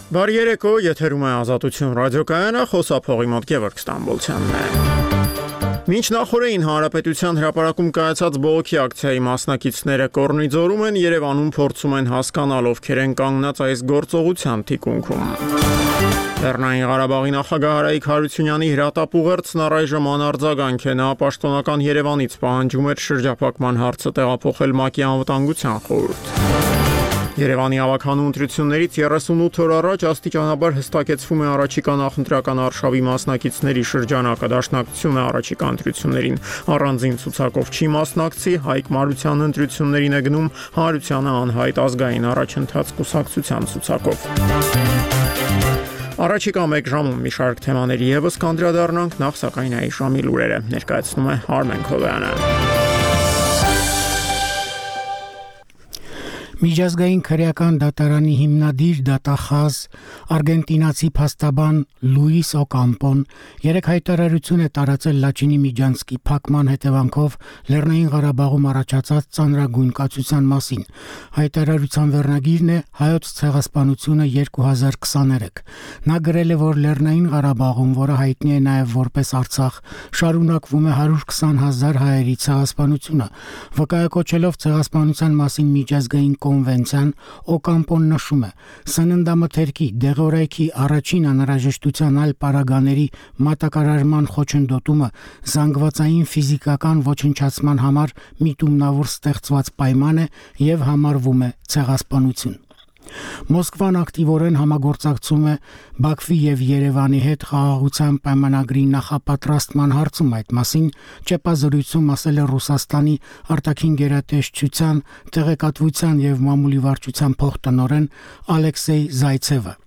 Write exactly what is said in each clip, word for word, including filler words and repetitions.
Բարի երեկո, եթերում է Ազատություն ռադիոկայանը, խոսափողի մոտ Գևորգ Ստամբոլցյանն է։ Մինչ նախորդին Հանրապետության հրապարակում կայացած բողոքի ակցիայի մասնակիցները Կորնիձորում են, Երևանում փորձում են հասկանալ, ովքեր են կանգնած այս գործողության թիկունքում։ Լեռնային Ղարաբաղի նախագահ Արայիկ Հարությունյանի հրատապուղերձն առայժմ անարձագանք է, նա պաշտոնական Երևանից պահանջում էր շրջափակման հարցը տեղափոխել ՄԱԿ-ի անվտանգության խորհուրդ։ Երևանի ավագանու ընտրություններից երեսունութ օր առաջ աստիճանաբար հստակեցվում է առաջիկա նախընտրական արշավի մասնակիցների շրջանակը, դաշնակցությունը առաջիկա ընտրություններին առանձին ցուցակով չի մասնակցի, Հայկ Մարությանը ընտրություններին է գնում, Հարությանը անհայտ ազգային առաջընթաց կուսակցության ցուցակով։ Առաջիկա մեկ ժամում մի շարք թեմաների ևս կանդրադառնանք, նախ սակայն այս ժամի լուրերը ներկայացնում է Արմեն Քովյանը։ Միջազգային քրեական դատարանի հիմնադիր դատախազ արգենտինացի փաստաբան Լուիս Օկամպոն երեք հայտարարություն է տարածել Լաչինի միջանցքի փակման հետևանքով Լեռնային Ղարաբաղում առաջացած ծանրագույն կացության մասին։ Հայտարարության վերնագիրն է Հայոց ցեղասպանությունը երկու հազար քսաներեք։ Նա գրել է, որ Լեռնային Ղարաբաղում, որը հայտնի է նաև որպես Արցախ, շարունակվում է հարյուր քսան հազար հայերի ցեղասպանությունը։ Վկայակոչելով ցեղասպանության մասին միջազգային կոնվենցիան, Օկամպոն նշում է. սննդամթերքի, դեղորայքի առաջին անհրաժեշտության այլ պարագաների մատակարարման խոչընդոտումը զանգվածային ֆիզիկական ոչնչացման համար միտումնավոր ստեղծված պայման է և համարվում է ցեղասպանություն։ Մոսկվան ակտիվորեն համագործակցում է Բաքվի և Երևանի հետ խաղաղության պայմանագրի նախապատրաստման հարցում, այդ մասին ճեպազրույցում ասել է Ռուսաստանի արտաքին գերատեսչության տեղեկատվության և մամուլի վարչության փոխտնօրեն Ալեքսեյ Զայցևը։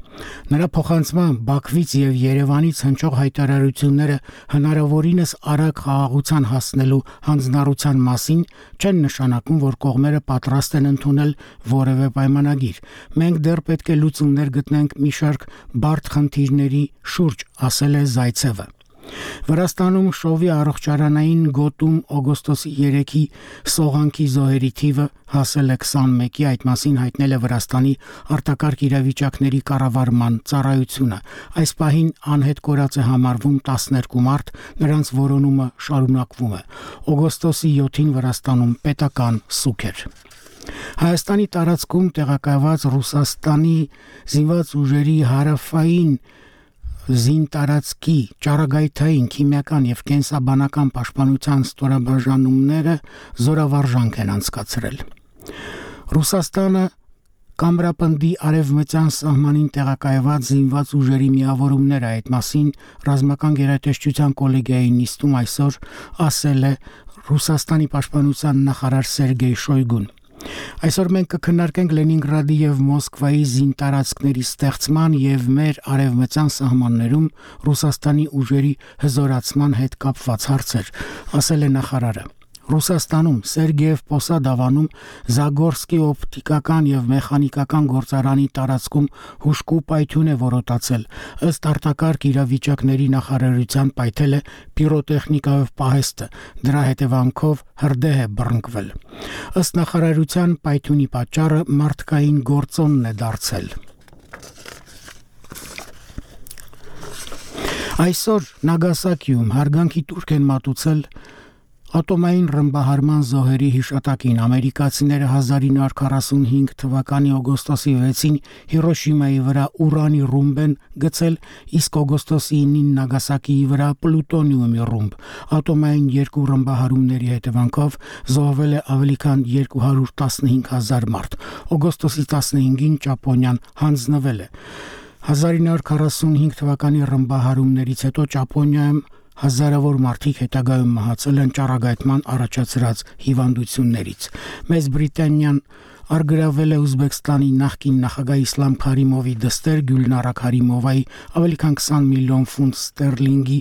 Նրա փոխանցմամբ Բաքվից և Երևանից հնչող հայտարարությունները հնարավորինս արագ խաղաղության հասնելու հանձնառության մասին չեն նշանակում, որ կողմերը պատրաստ են ընդունել որևէ պայմանագիր։ Մենք դեռ պետք է լուծումներ գտնենք մի շարք բարդ խնդիրների շուրջ, ասել է Զայցևը։ Վրաստանում շովի առողջարանային գոտում օգոստոսի երեքի սողանքի զոհերի թիվը հասել է քսանմեկի, այդ մասին հայտնել է Վրաստանի արտակարգ իրավիճակների կառավարման ծառայությունը։ Այս պահին անհետ կորած է համարվում տասներկու մարդ, նրանց որոնումը շարունակվում է։ Օգոստոսի յոթին Վրաստանում պետական սուգ էր։ Հայաստանի տարածքում տեղակայված Ռուսաստանի զինված ուժերի հարավային զինտարածքի ճառագայթային, քիմիական և կենսաբանական պաշտպանության ստորաբաժանումները զորավարժանք են անցկացրել։ Ռուսաստանը Կամրապնդի արևմտյան սահմանին տեղակայված զինված ուժերի միավորումները, այդ մասին ռազմական գերատեսչության կոլեգիայի նիստում այսօր ասել է Ռուսաստանի պաշտպանության նախարար Սերգեյ Շոյգուն։ Այսօր մենք կքննարկենք Լենինգրադի և Մոսկվայի զինտարածքների ստեղծման և մեր արևմտյան սահմաններում Ռուսաստանի ուժերի հզորացման հետ կապված հարցեր, ասել է նախարարը։ Ռուսաստանում Սերգեև Պոսադ ավանում Զագորսկի օպտիկական և մեխանիկական գործարանի տարածքում հուժկու պայթյուն է որոտացել։ Ըստ արտակարգ իրավիճակների նախարարության պայթել է պիրոտեխնիկայով պահեստը, դրա հետևանքով հրդեհ է բռնկվել։ Ըստ նախարարության պայթյունի պատճառը մարդկային գործոնն է դարձել։ Այսօր Նագասակիում հարգանքի տուրք են մատուցել ատոմային ռմբահարման զոհերի հիշատակին։ Ամերիկացիները հազար ինը հարյուր քառասունհինգ թվականի օգոստոսի վեցին Հիրոշիմայի վրա ուրանի ռումբ են գցել, իսկ օգոստոսի ինին Նագասակիի վրա պլուտոնիումի ռումբ։ Ատոմային երկու ռմբահարումների հետևանքով զոհվել է ավելի քան երկու հարյուր տասնհինգ հազար մարդ։ Օգոստոսի տասնհինգին Ճապոնիան հանձնվել է։ հազար ինը հարյուր քառասունհինգ թվականի ռմբահարումներից հետո Ճապոնիայում հազարավոր մարդիկ հետագայում մահացել են ճառագայթման առաջացրած հիվանդություններից։ Մեծ Բրիտանիան արգրավել է Ուզբեկստանի նախկին նախագահ Իսլամ Քարիմովի դստեր Գյուլնարա Քարիմովայի ավելի քան քսան միլիոն ֆունտ ստերլինգի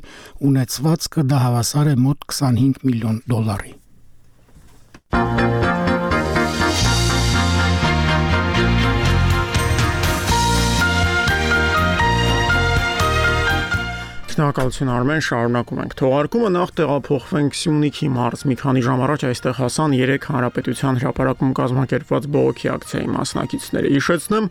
ունեցվածքը, դա հավասար է մոտ քսանհինգ միլիոն դոլարի։ Շնորհակալություն Արմեն, շարունակում ենք թողարկումը, նախ տեղափոխվենք Սյունիքի մարզ։ Մի քանի ժամ առաջ այստեղ հասան երեք հանրապետության հրապարակում կազմակերպված բողոքի ակցիայի մասնակիցները։ Հիշեցնեմ,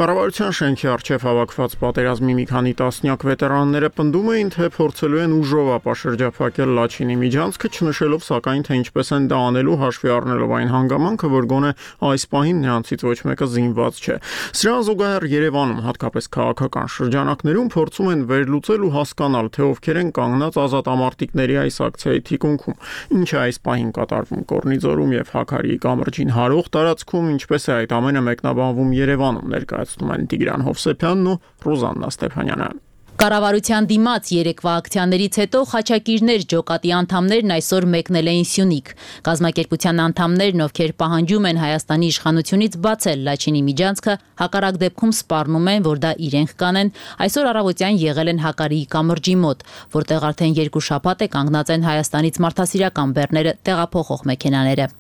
կառավարության շենքի առջև հավաքված պատերազմի մի քանի տասնյակ վետերանները պնդում էին, թե փորձելու են ուժով ապաշրջափակել Լաչինի միջանցքը, չնշելով սակայն, թե ինչպես են դա անելու, հաշվի առնելով այն հանգամանքը, որ գոնե այս պահին նրանցից ոչ մեկը զինված չէ։ Սրան զուգահեռ Երևանում, հատկապես քաղաքական շրջանակներում փորձում են վերլուծել ու հասկանալ, թե ովքեր են կանգնած ազատամարտիկների այս ակցիայի թիկունքում, ինչ է այս պահին կատարվում Կորնիձորում եւ Հաքարիի կամրջին հարող տարածքում, ինչպես է այդ ամենը մեկնաբանվում Երևանում, ներկայացնում են Տիգրան Հովսեփյանն ու Ռուզաննա Ստեփանյանը։ Կառավարության դիմաց երեկվա ակցիաներից հետո խաչակիրներ ջոկատի անդամներն այսօր մեկնել էին Սյունիք։ Կազմակերպության անդամներն, ովքեր պահանջում են Հայաստանի իշխանությունից բացել Լաչինի միջանցքը, հակառակ դեպքում սպառնում են, որ դա իրենք կանեն, այսօր առավոտյան եղել են Հակարիի կամրջի մոտ, որտեղ արդեն երկու շաբաթ է կանգնած են Հայաստանից մարդասիրական բեռները տեղափոխող մեքենաները։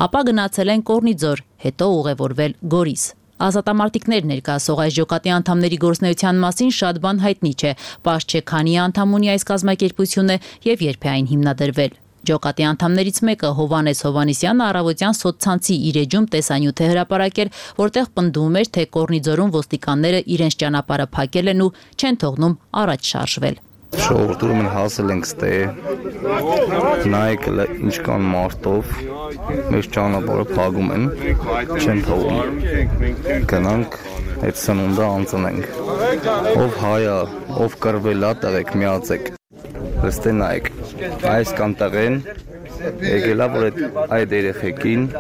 Ապա գնացել են Կորնիձոր, հետո ուղևորվել Գորիս։ Ազատամարտիկներ ներկայացող այս ջոկատի անդամների գործունեության մասին շատ բան հայտնի չէ, պարզ չէ քանի անդամ ունի այս կազմակերպությունը եւ երբ է այն հիմնադրվել։ Ջոկատի անդամներից մեկը Հովանես Հովանեսյանը առավոտյան սոցցանցի իր էջում տեսանյութ է հրապարակել, որտեղ պնդում էր, թե Կորնիձորում ոստիկանները իրենց ճանապարհը փակել են ու չեն թողնում առաջ շարժվել։ Շողովուրդում են հասել ենք ստեղ, նայեք ինչքան մարդով, մեր ճանապարհը փակում են, չեն թողում, գնանք այդ սնունդը անցնենք, ով հայա, ով կռվել ա, տղեկ միացեք, ստե նայեք, այս կան տղեն, եկել ա, որ այդ երեխեքին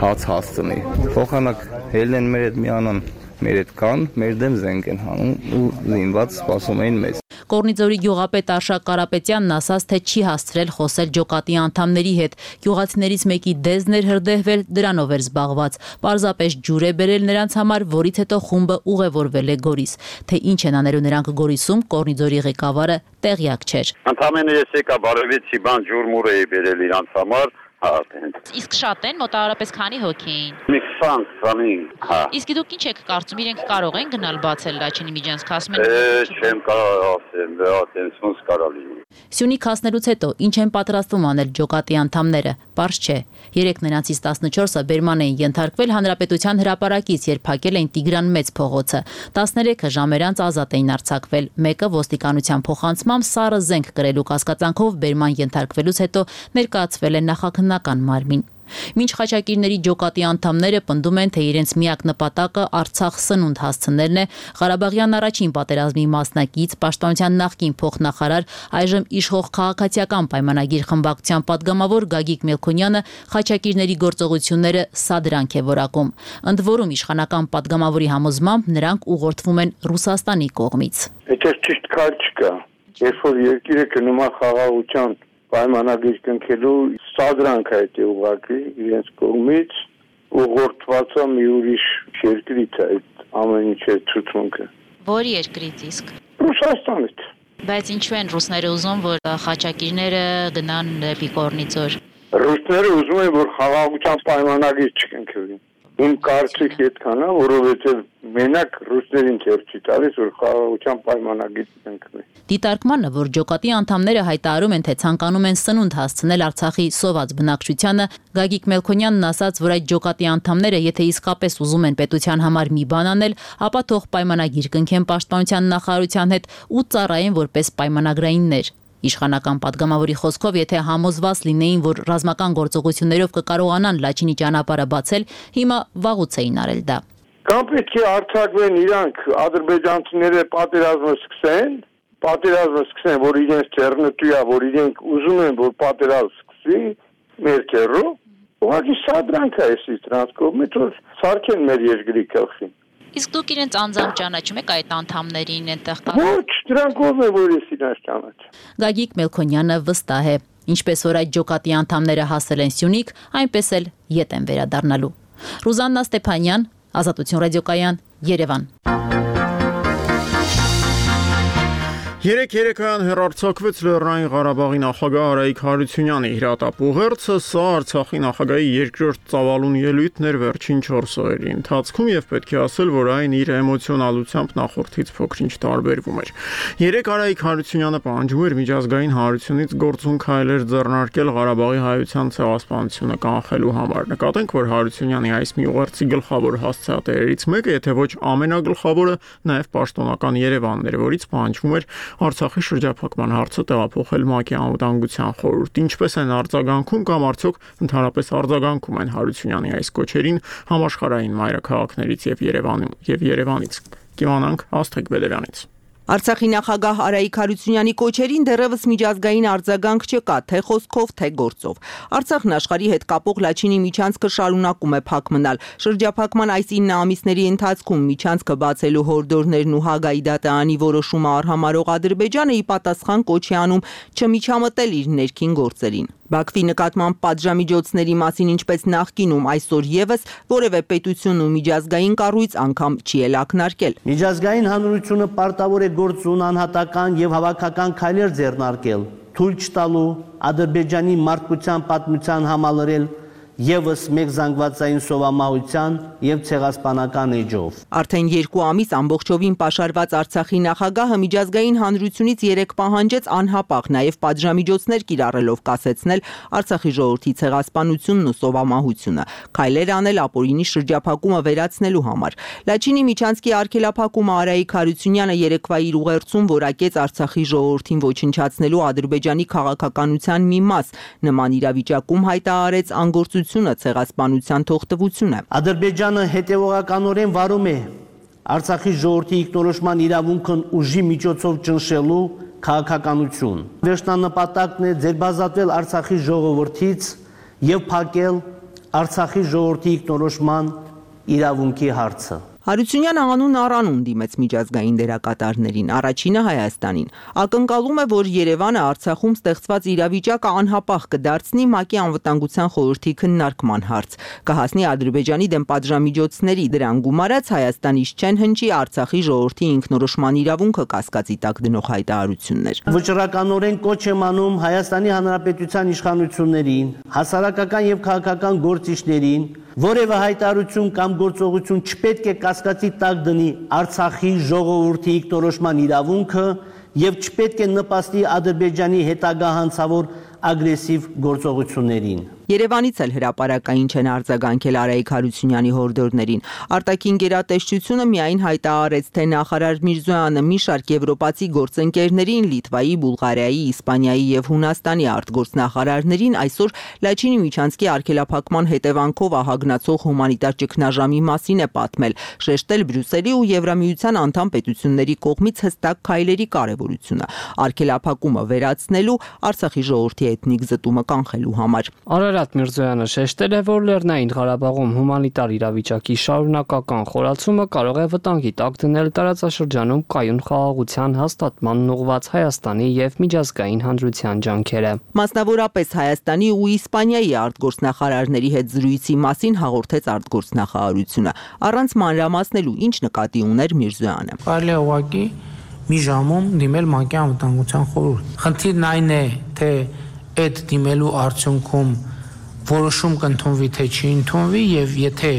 հաց հասցնի, փոխանակ հելն են մեր հետ միանան, մեր հետ կան, մեր դեմ զենք են հանում ու զինված սպասում էին մեզ։ Կորնիձորի գյուղապետ Արշակ Կարապետյանն ասաց, թե չի հասցրել խոսել ջոկատի անդամների հետ։ Գյուղացիներից մեկի դեզն էր հրդեհվել, դրանով էր զբաղված։ Պարզապես ջուր է բերել նրանց համար, որից հետո խումբը ուղևորվել է Գորիս։ Թե ինչ են անելու նրանք Գորիսում, Կորնիձորի ղեկավարը տեղյակ չէր։ Ընդամենը ես եկա բարևեցի, բան ջուր մուր էի բերել իրանց համար։ Իսկ շատ են, մոտավորապես քանի հոգի էին։ Մի քսան, քսանին, հա։ Իսկ դուք ինչ եք կարծում, իրենք կարող են գնալ բացել Լաչինի միջանցքը, ասում են։ Է, չեմ կարող ասել, դա տենսոնս կարա լինի։ Սյունիք հասնելուց հետո ինչ են պատրաստվում անել ջոկատի անդամները, պարզ չէ։ Երեք նրանցից տասնչորսը բերման էին ենթարկվել Հանրապետության հրապարակից, երբ փակել էին Տիգրան Մեծ փողոցը։ տասներեքը ժամեր անց ազատ էին արձակվել։ Մեկը ոստիկանության փոխանցմամբ սառը զենք կրելու կասկածանքով բերման ենթարկվելուց հետո ներկայացվել է նախաքննական մարմին։ Մինչ խաչակիրների ջոկատի անդամները պնդում են, թե իրենց միակ նպատակը Արցախ սնունդ հասցնելն է, Ղարաբաղյան առաջին պատերազմի մասնակից, Պաշտպանության նախկին փոխնախարար, այժմ իշխող քաղաքացիական պայմանագիր խմբակցության падգամավոր Գագիկ Մելքոնյանը խաչակիրների գործողությունները սադրանք է որակում։ Ընդ որում իշխանական падգամավորի համոզմամբ նրանք ուղղորդվում են Ռուսաստանի կողմից։ Դա ճիշտ քայլ չկա։ Երբ որ երկիրը գնում է խաղաղության պայմանագիր կնքելու սադրանք է դա ուղղակի իրենց կողմից ուղղորդված է մի ուրիշ երկրից այդ ամեն ինչի ցուցմունքը։ Որ երկրից իսկ։ Ռուսաստանից։ Բայց ինչու են ռուսները ուզում, որ խաչակիրները գնան դեպի Կորնիձոր։ Ռուսները ուզում են, որ խաղաղության պայմանագիր չկնքվի։ Իմ կարծիքը այդքան է, որովհետև մենակ ռուսներին քեր չի տալիս, որ խաղաղության պայմանագիր կնքվի։ Դիտարկմանը, որ ջոկատի անդամները հայտարարում են, թե ցանկանում են սնունդ հասցնել Արցախի սոված բնակչությանը, Գագիկ Մելքոնյանն ասաց, որ այդ ջոկատի անդամները, եթե իսկապես ուզում են պետության համար մի բան անել, ապա թող պայմանագիր կնքեն Պաշտպանության նախարարության հետ ու ծառայեն որպես պայմանագրայիններ։ Իշխանական падգամավորի խոսքով, եթե համոզված լինեին, որ ռազմական գործողություններով կկարողանան Լաչինի ճանապարհը բացել, հիմա վաղուց էին արել դա։ Կամ պետք է արձակվեն իրանք ադրբեջանցիները պատերազմը սկսեն, պատերազմը սկսեն, որ իրենց ձեռնտու է, որ իրենք ուզում են, որ պատերազմ սկսի մեր քերրով, ուղղակի սադրանք է էսի դրանց կողմից, որ սարքեն մեր երկրի գլխին։ Իսկ դուք իրենց անձամբ ճանաչում եք այդ անդամներին այնտեղ կա։ Ոչ, դրանք ով են, որ ես իրենց ճանաչում։ Գագիկ Մելքոնյանը վստահ է, ինչպես որ այդ ջոկատի անդամները հասել են Սյունիք, այնպես էլ ետ են վերադառնալու։ Ռուզաննա Ստեփանյան, Ազատություն ռադիոկայան, Երևան։ Երեք երեկոյան հեռարձակվեց Լեռնային Ղարաբաղի նախագահ Արայիկ Հարությունյանի հրատապուղերձը, սա Արցախի նախագահի երկրորդ ծավալուն ելույթն էր վերջին չորս օրերի ընթացքում եւ պետք է ասել, որ այն իր էմոցիոնալությամբ նախորդից փոքր-ինչ տարբերվում էր։ Երեք Արայիկ Հարությունյանը պահանջում էր միջազգային հանրությունից գործուն քայլեր ձեռնարկել Ղարաբաղի հայության ցեղասպանությունը կանխելու համար։ Նկատենք, որ Հարությունյանի այս մի ուղերձի գլխավոր հասցեատերերից մեկը, եթե ոչ ամենագլխավորը, նաեւ պաշտոնական Երևանն էր, որից պահանջվում էր Արցախի շրջափակման հարցը տեղափոխել ՄԱԿ-ի անվտանգության խորհուրդ։ Ինչպես են արձագանքում կամ արդյոք ընդհանրապես արձագանքում են Հարությունյանի այս կոչերին համաշխարհային մայրաքաղաքներից եւ Երևանում եւ Երևանից։ Կիմանանք Աստղիկ Բեդևյանից։ Արցախի նախագահ Արայիկ Հարությունյանի կոչերին դեռևս միջազգային արձագանք չկա, թե խոսքով, թե գործով։ Արցախն աշխարհի հետ կապող Լաչինի միջանցքը շարունակում է փակ մնալ։ Շրջափակման այս ինը ամիսների ընթացքում միջանցքը բացելու հորդորներն ու Հագայի դատարանի որոշումը արհամարող Ադրբեջանը ի պատասխան կոչ է անում չմիջամտել իր ներքին գործերին։ Բաքվի նկատմամբ պատժամիջոցների մասին ինչպես նախկինում այսօր եւս որևէ պետություն ու միջազգային կառույց անգամ չի էլ ակնարկել։ Միջազգային հանրությունը պարտավոր է գործուն անհատական եւ հավաքական քայլեր ձեռնարկել, թույլ չտալու Ադրբեջանի մարդկության պատմության համալրել եւս մեկ զանգվածային սովամահության եւ ցեղասպանական էջով։ Արդեն երկու ամիս ամբողջովին պաշարված Արցախի նախագահը միջազգային հանրությունից երեք պահանջեց անհապաղ նաեւ պատժամիջոցներ կիրառելով կասեցնել Արցախի ժողովրդի ցեղասպանությունն ու սովամահությունը, քայլեր անել ապօրինի շրջափակումը վերացնելու համար։ Լաչինի միջանցքի արգելափակումը Արայիկ Հարությունյանը երեկվա իր ուղերձում որակեց Արցախի ժողովրդին ոչնչացնելու Ադրբեջանի քաղաքականության մի մաս, նման իրավիճակում հայտարարեց անգործություն ցեղասպանության թողտվությունը։ Ադրբեջանը հետևողականորեն վարում է Արցախի ժողովրդի ինքնորոշման իրավունքն ուժի միջոցով ճնշելու քաղաքականություն։ Վերջնանպատակն է ձերբազատվել Արցախի ժողովրդից եւ փակել Արցախի ժողովրդի ինքնորոշման իրավունքի հարցը։ Հարությունյանը անուն առանուն դիմեց միջազգային դերակատարներին, առաջինը Հայաստանին։ Ակնկալում է, որ Երևանը Արցախում ստեղծված իրավիճակը անհապաղ կդարձնի ՄԱԿ-ի անվտանգության խորհրդի քննարկման հարց, կհասնի Ադրբեջանի դեմ պատժամիջոցների, դրան գումարած Հայաստանից չեն հնչի Արցախի ժողովրդի ինքնորոշման իրավունքը կասկածի տակ դնող հայտարարություններ։ Վճռականորեն կոչ եմ անում Հայաստանի Հանրապետության իշխանություններին, հասարակական եւ քաղաքական գործիչներին որևէ հայտարարություն կամ գործողություն չպետք է կասկածի տակ դնի Արցախի ժողովրդի ինքնորոշման իրավունքը եւ չպետք է նպաստի Ադրբեջանի հետագա հանցավոր ագրեսիվ գործողություններին։ Երևանից էլ հրապարակային չեն արձագանքել Արայիկ Հարությունյանի հորդորներին։ Արտաքին գերատեսչությունը միայն հայտարարեց, թե նախարար Միրզոյանը մի շարք եվրոպացի գործընկերներին, Լիտվայի, Բուլղարիայի, Իսպանիայի եւ Հունաստանի արտգործնախարարներին այսօր Լաչինի միջանցքի արգելափակման հետևանքով ահագնացող հումանիտար ճգնաժամի մասին է պատմել, շեշտել Բրյուսելի ու Եվրամիության անդամ պետությունների կողմից հստակ քայլերի կարևորությունը, արգելափակումը վերացնելու, Արցախի ժողովրդի էթնիկ զտումը կանխելու համար։ Արարատ Միրզոյանը շեշտել է, որ Լեռնային Ղարաբաղում հումանիտար իրավիճակի շարունակական խորացումը կարող է վտանգի տակ դնել տարածաշրջանում կայուն խաղաղության հաստատմանն ուղղված Հայաստանի եւ միջազգային հանրության ջանքերը։ Մասնավորապես Հայաստանի ու Իսպանիայի արտգործնախարարների հետ զրույցի մասին հաղորդեց արտգործնախարարությունը, առանց մանրամասնելու ինչ նկատի ուներ Միրզոյանը։ Կարելի է ուղղակի մի ժամում դիմել ՄԱԿ-ի անվտանգության խորհուրդ։ Խնդիրն այն է, թե այդ դիմելու արդյունքում որոշում կընդունվի, թե չի ընդունվի եւ եթե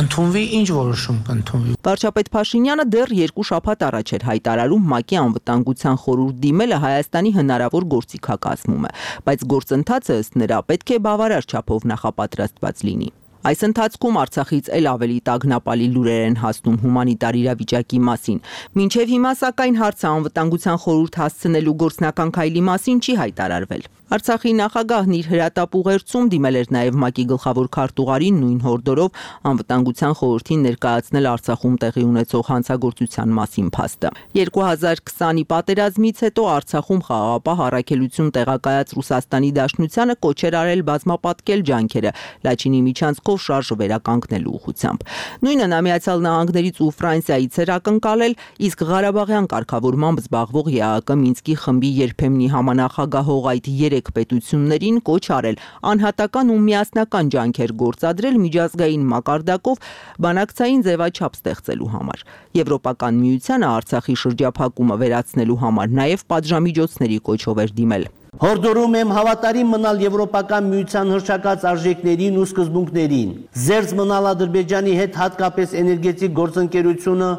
ընդունվի, ինչ որոշում կընդունվի։ Վարչապետ Փաշինյանը դեռ երկու շաբաթ առաջ էր հայտարարում ՄԱԿ-ի անվտանգության խորհուրդ դիմելը Հայաստանի հնարավոր գործիքակազմում է, բայց գործընթացը ըստ նրա պետք է բավարար չափով նախապատրաստված լինի։ Այս ընթացքում Արցախից էլ ավելի տագնապալի լուրեր են հասնում հումանիտար իրավիճակի մասին։ Մինչև հիմա սակայն հարցը անվտանգության խորհուրդ հասցնելու գործնական քայլի մասին չի հայտարարվել։ Արցախի նախագահն իր հրատապուղերձում դիմել էր նաև ՄԱԿ-ի գլխավոր քարտուղարին նույն հորդորով անվտանգության խորհրդին ներկայացնել Արցախում տեղի ունեցող հանցագործության մասին փաստը։ երկու հազար քսանի պատերազմից հետո Արցախում խաղաղապահ առաքելություն տեղակայած Ռուսաստանի Դաշնությանը կոչ էր արել բազմապատկել ջանքերը Լաչինի միջանցքով շարժը վերականգնելու ուղղությամբ։ Նույնը նա Միացյալ Նահանգներից ու Ֆրանսիայից էր ակնկալել, իսկ Ղարաբաղյան կարգավորմամբ զբաղվող ԵԱՀԿ Մինսկի խմբի երբեմնի համանախագահող այդ երեք երեք պետություններին կոչ արել անհատական ու միասնական ջանքեր գործադրել միջազգային մակարդակով բանակցային ձևաչափ ստեղծելու համար։ Եվրոպական միությանը Արցախի շրջափակումը վերացնելու համար նաև պատժամիջոցների կոչով էր դիմել։ Հորդորում եմ հավատարիմ մնալ Եվրոպական միության հռչակած արժեքներին ու սկզբունքներին, զերծ մնալ Ադրբեջանի հետ հատկապես էներգետիկ գործընկերությունը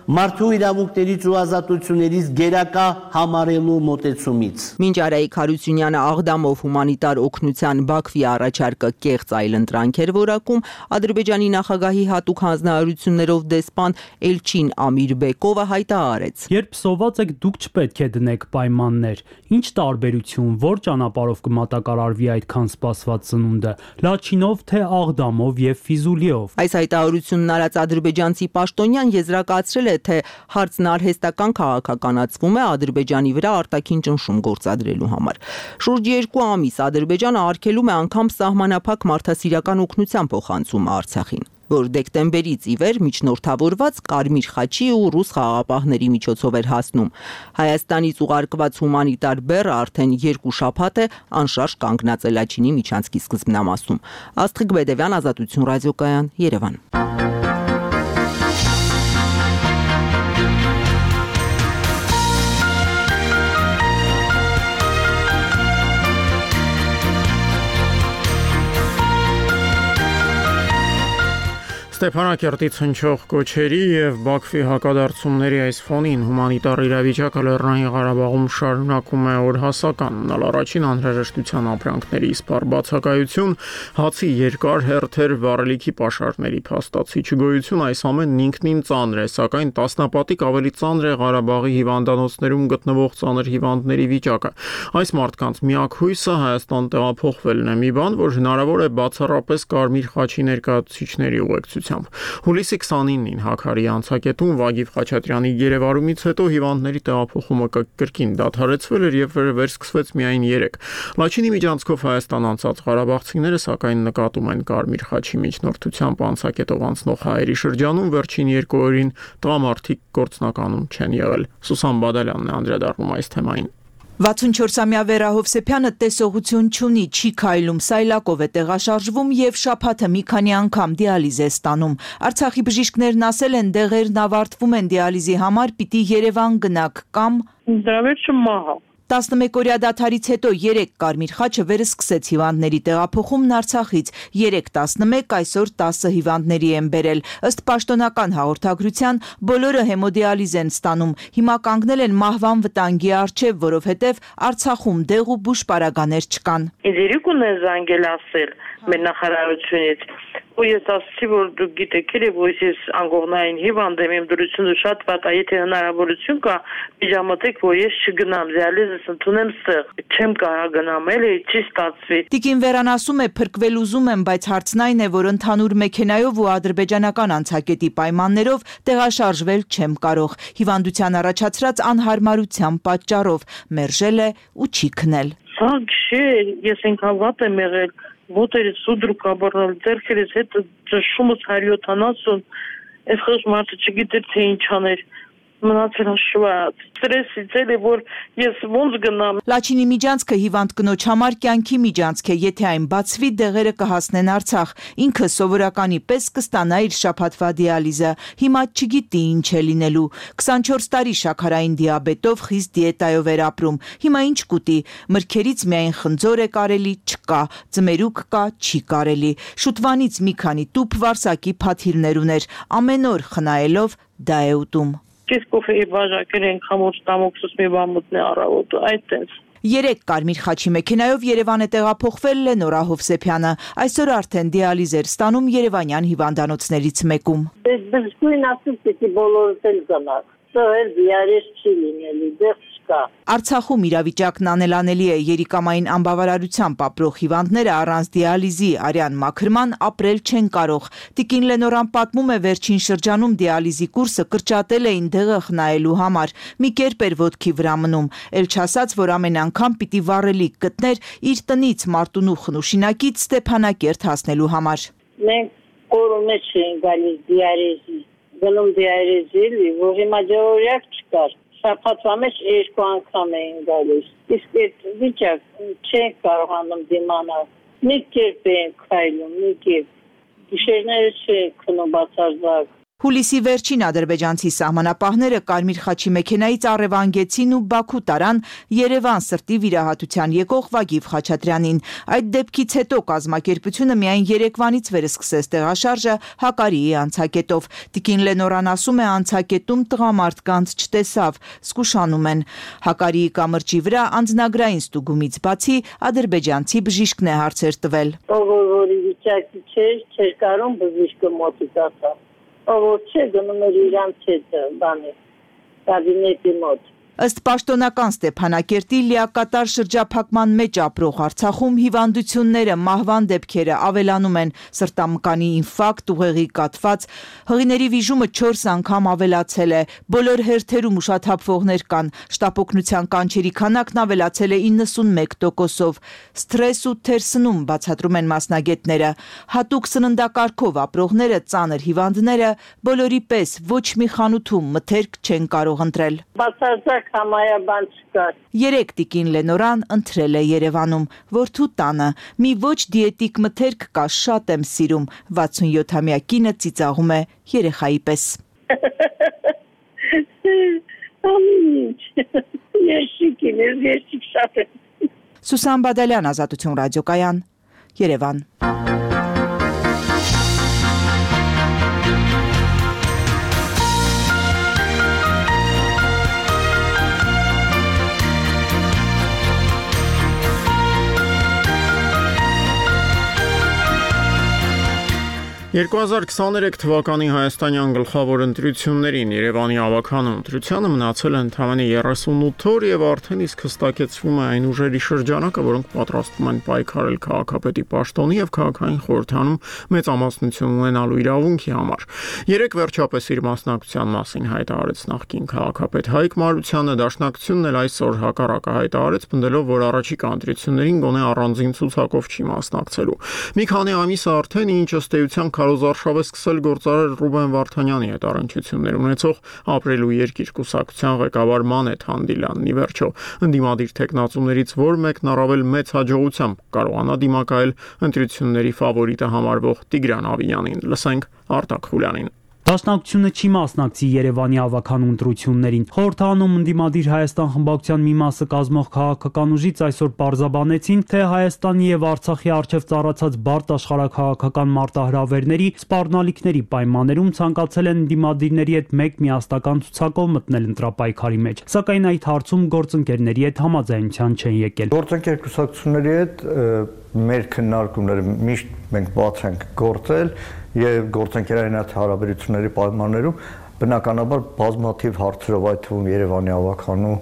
մարդու իրավունքներից ու ազատություններից գերակա համարելու մոտեցումից։ Մինչ Արայիկ Հարությունյանը Աղդամով հումանիտար օգնության Բաքվի առաջարկը կեղծ այլընտրանք էր որակում, Ադրբեջանի նախագահի հատուկ հանձնարարություններով դեսպան Էլչին Ամիրբեկովը հայտարարեց. Երբ սոված եք, դուք չպետք է դնեք պայմաններ։ Ինչ տարբերություն, որ ճանապարհով կմատակարարվի այդքան սպասված ծնունդը՝ Լաչինով, թե Աղդամով եւ Ֆիզուլիով։ Այս հայտարարությունն արած ադրբեջանցի պաշտոնյան եզրակացրել է, թե հարցն արհեստական քաղաքականացվում է Ադրբեջանի վրա արտաքին ճնշում գործադրելու համար։ Շուրջ երկու ամիս Ադրբեջանը արգելում է անգամ սահմանափակ մարդասիրական օգնության փոխանցումը Արցախին, որ դեկտեմբերից ի վեր միջնորդավորված Կարմիր խաչի ու ռուս խաղաղապահների միջոցով էր հասնում։ Հայաստանից ուղարկված հումանիտար բեռը արդեն երկու շաբաթ է անշարժ կանգնած է Լաչինի միջանցքի սկզբնամասում։ Աստղիկ Բեդևյան, Ազատություն ռադիոկայան, Երևան։ Ստեփանակերտից հնչող կոչերի եւ Բաքվի հակադարձումների այս ֆոնին հումանիտար իրավիճակը Լեռնային Ղարաբաղում շարունակում է օրհասական մնալ։ Առաջին անհրաժեշտության ապրանքների սպառ բացակայություն, հացի երկար հերթեր, վառելիքի պաշարների փաստացի չգոյություն, այս ամենն ինքնին ծանր է, սակայն տասնապատիկ ավելի ծանր է Ղարաբաղի հիվանդանոցներում գտնվող ծանր հիվանդների վիճակը։ Այս մարդկանց միակ հույսը Հայաստան տեղափոխվելն է, մի բան, որ հնարավոր է բացառապես Կարմիր խաչի ներկայացուցիչների ուղեկցությամբ։ Հուլիսի քսանինին Հաքարի անցակետում Վագիվ Խաչատրյանի գերեվարումից հետո հիվանդների տեղափոխումը կրկին դադարեցվել էր եւ վերսկսվեց միայն երեք։ Լաչինի միջանցքով Հայաստան անցած ղարաբաղցիները սակայն նկատում են Կարմիր խաչի միջնորդությամբ անցակետով անցնող հայերի շրջանում վերջին երկու օրին տղամարդիկ գործնականում չեն եղել։ Սուսան Բադալյանն է անդրադառնում այս թեմային։ վաթսունչորսամյա Վերա Հովսեփյանը տեսողություն չունի, չի քայլում, սայլակով է տեղաշարժվում եւ շաբաթը մի քանի անգամ դիալիզ է ստանում։ Արցախի բժիշկներն ասել են, դեղերն ավարտվում են դիալիզի համար, պիտի Երևան գնաք կամ դրա վերջը մահա։ տասնմեկօրյա դադարից հետո երեք Կարմիր խաչը վերսկսեց հիվանդների տեղափոխումն Արցախից, երեք տասնմեկ, այսօր տասը հիվանդների են բերել։ Ըստ պաշտոնական հաղորդագրության բոլորը հեմոդիալիզ են ստանում, հիմա կանգնել են մահվան վտանգի առջև, որովհետև Արցախում դեղ ու բուժ պարագաներ չկան։ Ինձ երեք ունեն զանգել ասել մեր նախարարությունից, ու ես ասացի, որ դուք գիտեք, որ ես անգողնային հիվանդ եմ, իմ դրությունը շատ վատ է, եթե հնարավորություն կա, միջամտեք, որ ես չգնամ, դիալիզս ընդունեմ ստեղ, չեմ կարող գնամ, էլի չի ստացվի։ Տիկին Վերան ասում է, փրկվել ուզում եմ, բայց հարցն այն է, որ ընդհանուր մեքենայով ու ադրբեջանական անցակետի պայմաններով տեղաշարժվել չեմ կարող։ Հիվանդության առաջացրած անհարմարության պատճառով մերժել է ու չի քնել։ Սա չէ, ես ինքան վատ եմ եղել, ոտերից սուդրուկ աբռնել, ձեռքերից հետ ճշումս հարյուր յոթանասուն, այս խոշ մարդը չգիտեր, թե ինչ աներ, մնացել հաշված, ստրեսից էլի, որ ես ոնց գնամ։ Լաչինի միջանցքը հիվանդ կնոջ համար կյանքի միջանցք է, եթե այն բացվի, դեղերը կհասնեն Արցախ, ինքը սովորականի պես կստանա իր շաբաթվա դիալիզը, հիմա չգիտի ինչ է լինելու, քսանչորս տարի շաքարային դիաբետով խիստ դիետայով էր ապրում, հիմա ինչ կուտի, մրգերից միայն խնձոր է կարելի, չկա, ձմերուկ կա, չի կարելի, շուտվանից մի քանի տուփ վարսակի փաթիլներ ուներ, ամեն օր խնայելով դա է ուտում։ Կես կոֆեի բաժակեր են խամոց տամոքսուս մի բան մտնե առավոտը, այդ տենց։ Երեք Կարմիր խաչի մեքենայով Երևան է տեղափոխվել Լենորա Հովսեփյանը, այսօր արդեն դիալիզ էր ստանում երևանյան հիվանդանոցներից մեկում։ Բժշկուհին ասում, պիտի բոլորդ էլ գնաք, սա էլ դիալիզ չի լինելու, դեղ չկա։ Արցախում իրավիճակն անելանելի է, երիկամային անբավարարությամբ ապրող հիվանդները առանց դիալիզի արյան մաքրման ապրել չեն կարող։ Տիկին Լենորան պատմում է, վերջին շրջանում դիալիզի կուրսը կրճատել էին դեղը խնայելու համար, մի կերպ էր ոտքի վրա մնում, էլ չասած, որ ամեն անգամ պիտի վառելիք գտներ իր տնից Մարտունու Խնուշինակից Ստեփանակերտ հասնելու համար։ Մենք օրը մեջ ենք գալիս դիալիզի, գնում դիալիզի, որ հիմա ջորյակ չկար։ շաբաթվա մեջ երկու անգամ էին գալիս։ Իսկ այդ վիճակ չեն կարողանում դիմանալ։ Մի կերպ են քայլում, մի կերպ։ Գիշերները չեն քնում բացարձակ։ Հուլիսի վերջին ադրբեջանցի սահմանապահները Կարմիր խաչի մեքենայից առևանգեցին ու Բաքու տարան Երևան սրտի վիրահատության եկող Վագիվ Խաչատրյանին։ Այդ դեպքից հետո կազմակերպությունը միայն երեկվանից վեր սկսեց տեղաշարժը Հակարիի անցակետով։ Տիկին Լենորան ասում է, անցակետում տղամարդկանց չտեսավ, զգուշանում են։ Հակարիի կամրջի վրա անձնագրային ստուգումից բացի ադրբեջանցի բժիշկն է հարցեր տվել։ Ով որի վիճակի չէր, չէր կարող բժիշկը մոտիկ ասա։ Ով չէ գնում էր իրանց հետ բանի կաբինետի մոտ։ Ըստ պաշտոնական Ստեփանակերտի լիակատար շրջափակման մեջ ապրող Արցախում հիվանդությունները, մահվան դեպքերը ավելանում են, սրտամկանի ինֆարկտ, ուղեղի կաթված, հղիների վիժումը չորս անգամ ավելացել է, բոլոր հերթերում ուշաթափվողներ կան, շտապօգնության կանչերի քանակն ավելացել է իննսունմեկ տոկոսով, սթրես ու թերսնում բացատրում են մասնագետները, հատուկ սննդակարգով ապրողները, ծանր հիվանդները բոլորի պես ոչ մի խանութում մթերք չեն կարող ընտրել։ Համայաբան չկար։ Երեք տիկին Լենորան ընտրել է Երևանում, որդու տանը։ Մի ոչ դիետիկ մթերք կա, շատ եմ սիրում։ վաթսունյոթամյա կինը ծիծաղում է երեխայի պես։ Ամինչ։ Երջիկին, երջիկ շատ է։ Սուսան Բադալյան, Ազատություն ռադիոկայան, Երևան։ երկու հազար քսաներեք թվականի հայաստանյան գլխավոր ընտրություններին Երևանի ավագանու ընտրությանը մնացել է ընդամենը երեսունութ օր եւ արդեն իսկ հստակեցվում է այն ուժերի շրջանակը, որոնք պատրաստվում են պայքարել քաղաքապետի պաշտոնի եւ քաղաքային խորհրդանում մեծամասնություն ունենալու իրավունքի համար։ Երեք վերջապես իր մասնակցության մասին հայտարարեց նախկին քաղաքապետ Հայկ Մարությանը, դաշնակցությունն էլ այսօր հակառակը հայտարարեց, պնդելով, որ առաջիկա ընտրություններին գոնե առանձին ցուցակով չի մասնակցելու։ Մի քանի ամիս արդեն ինչ ըստ էության Քարոզարշավ է սկսել գործարար Ռուբեն Վարդանյանի հետ առնչություններ ունեցող ապրելու երկիր կուսակցության ղեկավար Մանեթ Հանդիլյանն ի վերջո ընդդիմադիր տեխնացուներից որ մեկն առավել մեծ հաջողությամբ կարողանա դիմակայել ընտրությունների ֆավորիտը համարվող Տիգրան Ավիյանին։ Լսենք Արտակ Խուլյանին։ Դաշնակցությունը չի մասնակցի Երևանի ավագանու ընտրություններին։ Խորհրդանում ընդդիմադիր Հայաստան խմբակցության մի մասը կազմող քաղաքական ուժից այսօր պարզաբանեցին, թե Հայաստանի եւ Արցախի առջև ծառացած բարդ աշխարհաքաղաքական մարտահրավերների սպառնալիքների պայմաններում ցանկացել են ընդդիմադիրների հետ մեկ միաստական ցուցակով մտնել ընտրապայքարի մեջ։ Սակայն այդ հարցում գործընկերների հետ համաձայնության չեն եկել։ Գործընկեր կուսակցությունների հետ մեր քննարկումները միշտ մենք բաց ենք գործել եւ գործընկերային հարաբերությունների պայմաններում բնականաբար բազմաթիվ հարցերով, այդ թվում Երևանի ավագանու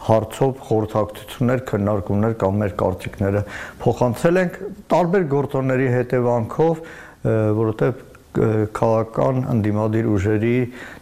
հարցով խորհրդակցություններ, քննարկումներ կամ մեր կարծիքները փոխանցել ենք տարբեր գործոնների հետևանքով, որովհետեւ քաղաքական ընդդիմադիր ուժերի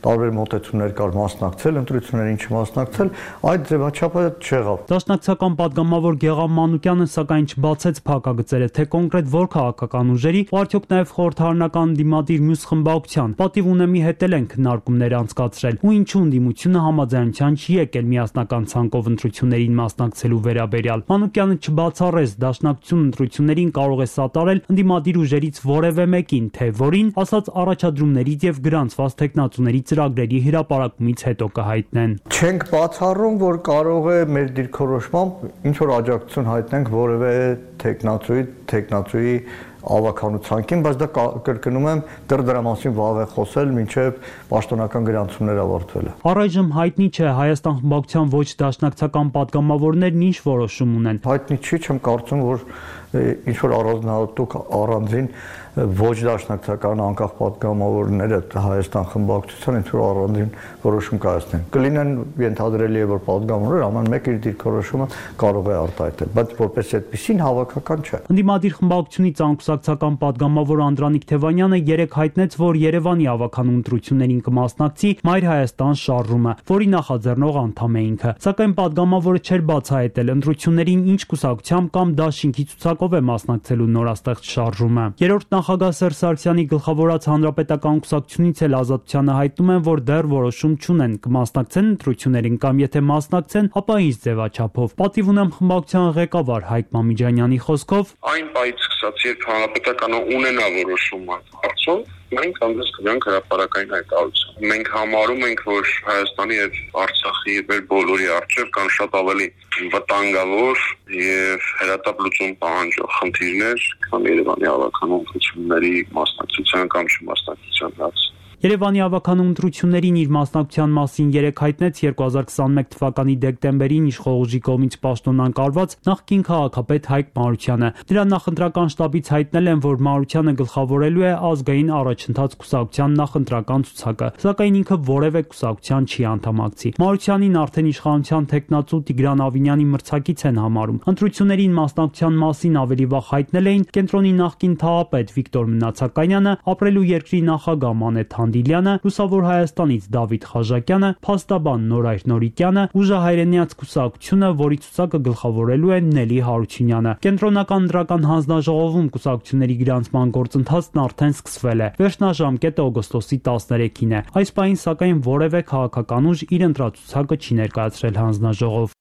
տարբեր մոտեցումներ կար մասնակցել ընտրություններին չմասնակցել, այդ ձևաչափը չեղավ։ Դաշնակցական падգամավոր Գեգամ Մանուկյանը սակայն չբացեց փակագծերը, թե կոնկրետ որ քաղաքական ուժերի, ու արդյոք նաև խորհրդարանական ընդդիմադիր մյուս խմբակցության պատիվ ունեմի հետել են քննարկումներ անցկացրել, ու ինչու ընդդիմությունը համաձայնության չի եկել միասնական ցանկով ընտրություններին մասնակցելու վերաբերյալ։ Մանուկյանը չբացառեց դաշնակցություն ընտրություններին կարող է սատարել ընդդիմադիր ուժերից որևէ մեկին, թե որին ասած առաջադրումներից եւ գրանցված տեխնացուների ծրագրերի հրապարակումից հետո կհայտնեն։ Չենք բացառում, որ կարող է մեր դիրքորոշմամբ ինչ որ աջակցություն հայտնենք որևէ տեխնացուի, տեխնացուի ավականությանքին, բայց դա կրկնում եմ, դեռ դրա մասին վաղ է խոսել, մինչև պաշտոնական գրանցումներ ավարտվելը։ Առայժմ հայտնի չէ Հայաստան խմբակցության ոչ դաշնակցական падգամավորներն ինչ որոշում ունեն։ Հայտնի չի, չեմ կարծում, որ ինչ որ առանձնահատուկ առանձին ոչ դաշնակցական անկախ падգամավորները Հայաստան խմբակցության ինչ որ առանձին որոշում կայացնեն։ Կլինեն ենթադրելի է, որ падգամավորները ամեն մեկ իր դիրքորոշումը կարող է արտահայտել, բայց որպես այդպեսին հավաքական չէ։ Ընդդիմադիր խմբակցությունից անկուսակցական падգամավոր Անդրանիկ Թևանյանը երեք հայտնեց, որ Երևանի ավագանու ընտրություններին կմասնակցի Մայր Հայաստան շարժումը, որի նախաձեռնող անդամ է ինքը։ Սակայն падգամավորը չէր բացահայտել ընտրություններին ինչ կուսակցությամբ կամ դաշինքի ցուցակով նպատակով է մասնակցելու նորաստեղծ շարժումը։ Երրորդ նախագահ Սերժ Սարգսյանի գլխավորած հանրապետական կուսակցությունից էլ Ազատությանը հայտնում են, որ դեռ որոշում չունեն, կմասնակցեն ընտրություններին կամ եթե մասնակցեն, ապա ինչ ձևաչափով։ Պատիվ ունեմ խմբակցության ղեկավար Հայկ Մամիջանյանի խոսքով. Այն պայից սկսած, երբ հանրապետականը ունենա որոշումը հարցում, մենք հանդես կգանք հրապարակային հայտարարություն։ Մենք համարում ենք, որ Հայաստանի եւ Արցախի եւ բոլորի առջեւ կան շատ ավելի վտանգավոր եւ հրատապ լուծում պահանջող խնդիրներ, քան Երևանի ավականու ընտրությունների մասնակցության կամ չմասնակցության հարց։ Երևանի ավականու ընտրություններին իր մասնակցության մասին երեկ հայտնեց երկու հազար քսաներկու թվականի դեկտեմբերին իշխողուժի կողմից պաշտոնանկարված նախկին քաղաքապետ Հայկ Մանուկյանը։ Դրա նախընտրական շտաբից հայտնել են, որ Մանուկյանը գլխավորելու է ազգային առաջընթաց կուսակցության նախընտրական ցուցակը, սակայն ինքը որևէ կուսակցության չի անդամակցի։ Մանուկյանին արդեն իշխանության տեխնացու Տիգրան Ավինյանի մրցակից են համարում։ Ընտրություններին մասնակցության մասին ավելի վաղ հայտնել էին կենտրոնի նախկին թաղապետ Վիկտոր Մնացականյանը, ապրելու երկրի նախագահ Մանեթ Դիլյանը, Լուսավոր Հայաստանից Դավիթ Խաժակյանը, փաստաբան Նորայր Նորիկյանը, Ուժահայրենիաց կուսակցությունը, որի ցուցակը գլխավորելու է Նելի Հարությունյանը։ Կենտրոնական դրական հանձնաժողովում կուսակցությունների գրանցման գործընթացն արդեն սկսվել է։ Վերջնաժամկետը օգոստոսի տասներեքին է։ Այս պահին սակայն որևէ քաղաքական ուժ իր ընտրացուցակը չի ներկայացրել հանձնաժողով։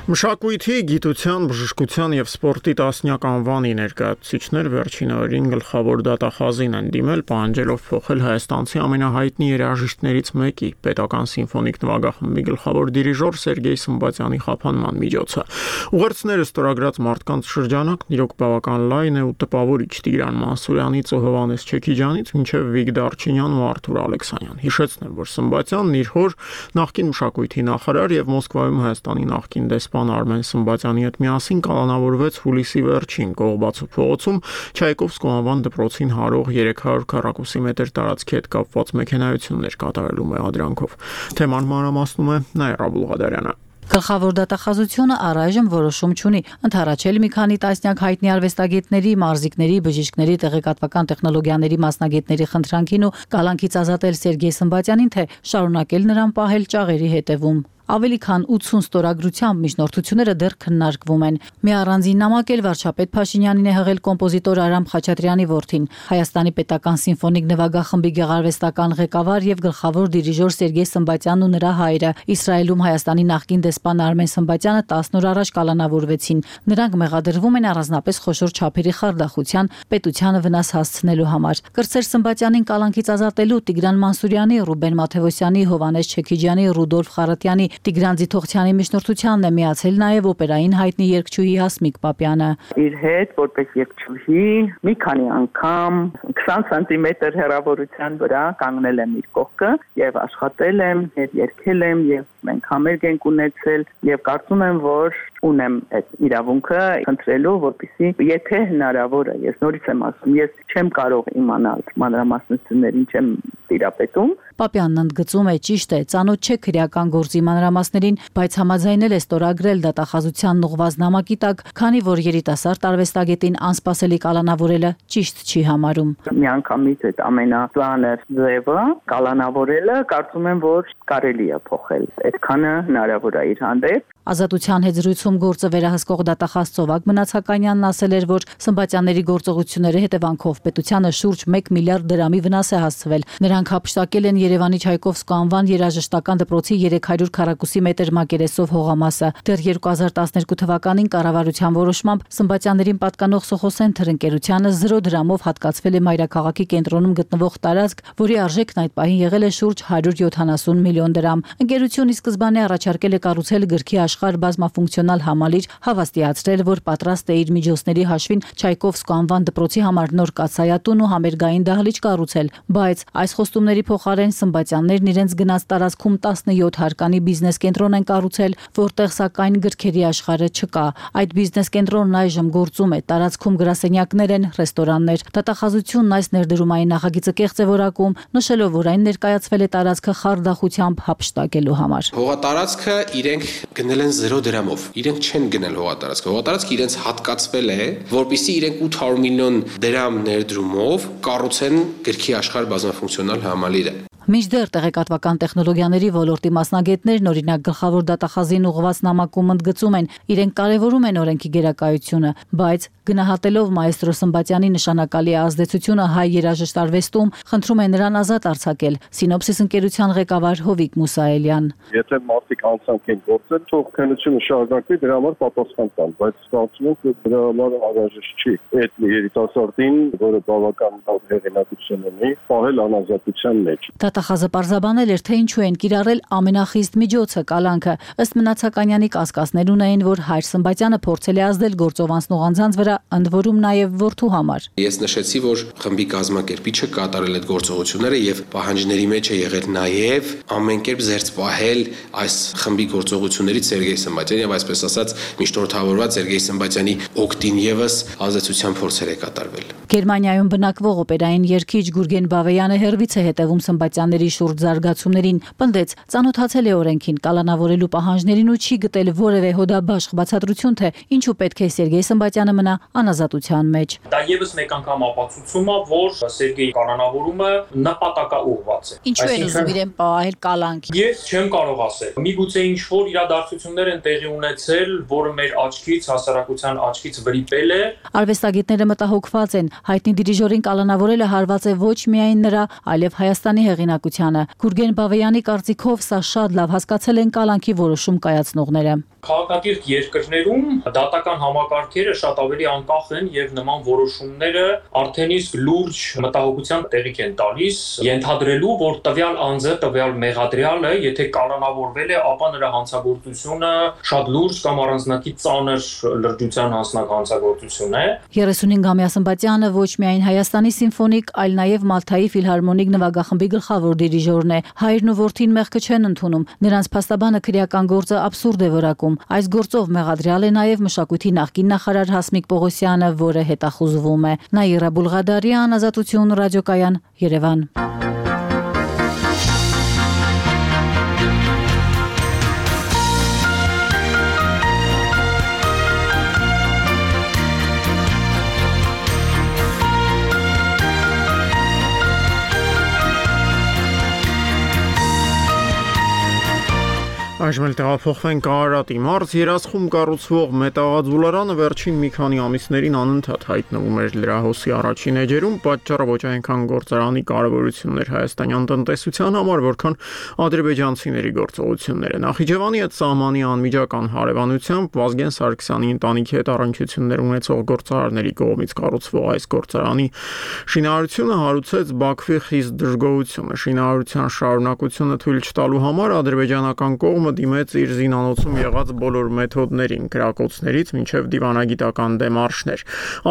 Մշակույթի, գիտության, բժշկության եւ սպորտի տասնյակ անվանի ներկայացուցիչներ վերջին օրերին գլխավոր դատախազին են դիմել, պահանջելով փոխել հայաստանցի ամենահայտնի երաժիշտներից մեկի, պետական սիմֆոնիկ նվագախմբի գլխավոր դիրիժոր Սերգեյ Սմբատյանի խափանման միջոցը։ Ուղերձները ստորագրած մարդկանց շրջանակն իրոք բավական լայն է ու տպավորիչ Տիգրան Մանսուրյանից ու Հովհաննես Չեքիջյանից մինչև Վիկ Դարչինյան ու Արթուր Ալեքսանյան։ Հիշեցնեմ, որ Սմբատյանն իր հոր նախկին մշակույթի նախարար եւ Մոսկվայում Հայաստանի նախկին դեսպան Արմեն Սմբատյանի հետ միասին կալանավորվեց հուլիսի վերջին Կողբացու փողոցում Չայկովսկու անվան դպրոցին հարող երեք հարյուր քառակուսի մետր տարածքի հետ կապված մեքենայություններ կատարելու մեղադրանքով։ Թեման մանրամասնում է Նաիրա Բուլղադարյանը։ Գլխավոր դատախազությունը առայժմ որոշում չունի։ Ընդառաջել մի քանի տասնյակ հայտնի արվեստագետների, մարզիկների, բժիշկների, տեղեկատվական տեխնոլոգիաների մասնագետների խնդրանքին ու կալանքից ազատել Սերգեյ Սմբատյանին, թե շարունակել նրան պահել ճաղերի հետևում։ Ավելի քան ութսուն ստորագրությամբ միջնորդությունները դեռ քննարկվում են։ Մի առանձին նամակ էլ վարչապետ Փաշինյանին է հղել կոմպոզիտոր Արամ Խաչատրյանի որդին, Հայաստանի պետական սիմֆոնիկ նվագախմբի գեղարվեստական ղեկավար եւ գլխավոր դիրիժոր Սերգեյ Սմբատյանն ու նրա հայրը։ Իսրայելում Հայաստանի նախկին դեսպան Արմեն Սմբատյանը տասն օր առաջ կալանավորվեցին։ Նրանք մեղադրվում են առանձնապես խոշոր չափերի խարդախության, պետությանը վնաս հասցնելու համար։ Կրտսեր Սմբատյանին կալանքից ազատելու Տիգրան Մանսուրյանի, Ռուբեն Մաթևոսյանի, Հովհաննես Չեքիջյանի, Ռուդոլֆ Խարատյանի, Տիգրան Ձիթողցյանի միջնորդությանն է միացել նաև օպերային հայտնի երգչուհի Հասմիկ Պապյանը։ Իր հետ որպես երգչուհի մի քանի անգամ քսան սանտիմետր հեռավորության վրա կանգնել եմ իր կողքը եւ աշխատել եմ, եւ երգել եմ եւ մենք համերգ ենք ունեցել եւ կարծում եմ, որ ունեմ այդ իրավունքը խնդրելու, որպեսզի եթե հնարավոր է, ես նորից եմ ասում, ես չեմ կարող իմանալ մանրամասնություններին, չեմ տիրապետում։ Պապյանն ընդգծում է, ճիշտ է, ծանոթ չէ քրեական գործի մանրամասներին, բայց համաձայնել է ստորագրել դատախազությանն ուղղված նամակի տակ, քանի որ երիտասարդ արվեստագետին անսպասելի կալանավորելը ճիշտ չի համարում։ Միանգամից այդ ամենածանր ձևը կալանավորելը կարծում եմ, որ կարելի է փոխել։ Այդքանը հնարավոր է իր հանդեպ։ Ազատության հետ զրույցում գործը վերահսկող դատախազ Ծովակ Մնացականյանն ասել էր, որ Սմբատյանների գործողությունների հետևանքով պետությանը շուրջ մեկ միլիարդ դրամի վնաս է հասցվել։ Նրանք հափշտակել են Երևանի Չայկովսկու անվան երաժշտական դպրոցի երեք հարյուր քառակուսի մետր մակերեսով հողամասը։ Դեռ երկու հազար տասներկու թվականին կառավարության որոշմամբ Սմբատյաններին պատկանող Սոխոսենթր ընկերությանը զրո դրամով հատկացվել է մայրաքաղաքի կենտրոնում գտնվող տարածք, որի արժեքն այդ պահին եղել է շուրջ հարյուր յոթանասուն միլիոն դրամ։ Ընկերությունը սկզբանե առաջարկել է կառուցել գրքի աշխարհ բազմաֆունկցիոնալ համալիր, հավաստիացրել, որ պատրաստ է իր միջոցների հաշվին Չայկովսկու անվան դպրոցի համար նոր կաթսայատուն ու համերգային դահլիճ կառուցել, բայց այս խոստումների փոխարեն Սմբատյաններն իրենց գնաց տարածքում տասնյոթ հարկանի բիզնես կենտրոն են կառուցել, որտեղ սակայն գրքերի աշխարհը չկա։ Այդ բիզնես կենտրոնն այժմ գործում է, տարածքում գրասենյակներ են, ռեստորաններ։ Դատախազությունն այս ներդրումային նախագիծը կեղծ է որակում, նշելով, որ այն ներկայացվել է տարածքը խարդախությամբ հափշտակելու համար։ Հողատարածքը իրենք գնել են զերո դրամով, իրենք չեն գնել հողատարածքը, հողատարածքը իրենց հատկացվել է, որպեսզի իրենք ութ հարյուր միլիոն դրամ ներդրումով կառուցեն գրքի աշխարհ բազմաֆունկցիոնալ համալիրը։ Մինչդեռ տեղեկատվական տեխնոլոգիաների ոլորտի մասնագետներն օրինակ գլխավոր դատախազին ուղղված նամակում ընդգծում են, իրենք կարևորում են օրենքի գերակայությունը, բայց գնահատելով մայստրո Սմբատյանի նշանակալի ազդեցությունը հայ երաժշտարվեստում, խնդրում են նրան ազատ արձակել։ Սինոպսիս ընկերության ղեկավար Հովիկ Մուսայելյան։ Եթե մարդիկ անցանք են գործել, թող քննությունը շարունակվի, դրա համար պատասխան տան, բայց ստացվում է, որ դրա համար անհրաժեշտ չի այդ երիտասարդին, որը բավական հեղինակություն ունի, պահել անազատության մեջ։ Դատախազը պարզաբանել էր, թե ինչու են կիրառել ամենախիստ միջոցը կալանքը։ Ըստ Մնացականյանի կասկածներ ունեին, որ հայր Սմբատյանը փորձել է ազդել գործով անցնող անձանց վրա, ընդ որում նաև որդու համար։ Ես նշեցի, որ խմբի կազմակերպիչը կատարել այդ գործողությունները եւ պահանջների մեջ է եղել նաև ամեն կերպ զերծ պահել այս խմբի գործողություններից Սերգեյ Սմբատյանը եւ այսպես ասած միջնորդավորված Սերգեյ Սմբատյանի օգտին եւս ազդեցության փորձեր է կատարվել։ Գերմանիայում բնակվող օպերային երգիչ Գուրգեն Բավեյանը հերվից է հետևում Սմբատյանների շուրջ զարգացումներին, պնդեց, ծանոթացել է օրենքին, կալանավորելու պահանջներին ու չի գտել որևէ հոդաբաշխ բացատրություն, թե ինչու պետք է Սերգեյ Սմբատյանը մնա անազատության մեջ։ Դա եւս մեկ անգամ ապացուցում է, որ Սերգեյի կալանավորումը նպատակաուղղված է։ Ինչու են ուզում իրեն պահել կալանքի։ Ես չեմ կարող ասել։ Միգուցե ինչ որ իրադարձություններ են տեղի ունեցել, որը մեր աչքից, հասարակության աչքից վրիպել է։ Արվեստագետները մտահոգված են, հայտնի դիրիժորին կալանավորելը հարված է ոչ միայն նրա, այլև Հայաստանի հեղինակությանը։ Գուրգեն Բավեյանի կարծիքով սա շատ լավ հասկացել են կալանքի որոշում կայացնողները։ Քաղաքակիրթ երկրներում դատական համակարգերը շատ ավելի անկախ են եւ նման որոշումները արդեն իսկ լուրջ մտահոգության տեղիք են տալիս, ենթադրելու, որ տվյալ անձը, տվյալ մեղադրյալը, եթե կալանավորվել է, ապա նրա հանցագործությունը շատ լուրջ կամ առանձնակի ծանր լրջության հասնակ հանցագործություն է։ երեսունհինգամյա Սմբատյանը ոչ միայն Հայաստանի սիմֆոնիկ, այլ նաև Մալթայի ֆիլհարմոնիկ նվագախմբի գլխավոր դիրիժորն է։ Հայրն ու որդին մեղքը չեն ընդունում։ Նրանց փաստաբանը քրեական գործը աբսուրդ է որակում։ Այս գործով մեղադրյալ է նաև մշակույթի նախկին նախարար Հասմիկ Պողոսյանը, որը հետախուզվում է։ Նաիրա Բուլղադարյան, Ազատություն, ռադիոկայան, Երևան։ Այժմ էլ տեղափոխվենք Արարատի մարզ, երասխում կառուցվող մետաղաձուլարանը վերջին մի քանի ամիսներին անընդհատ հայտնվում էր լրահոսի առաջին էջերում, պատճառը ոչ այնքան գործարանի կարևորությունն էր հայաստանյան տնտեսության համար, որքան ադրբեջանցիների գործողությունները։ Նախիջևանի հետ սահմանի անմիջական հարևանությամբ Վազգեն Սարգսյանի ընտանիքի հետ առնչություններ ունեցող գործարարների կողմից կառուցվող այս գործարանի շինարարությունը հարուցեց Բաքվի խիստ դժգոհությունը։ Շինարարության շարունակությունը թույլ չտալու համար ադրբեջանական կողմը դիմեց իր զինանոցում եղած բոլոր մեթոդներին, կրակոցներից մինչև դիվանագիտական դեմարշներ։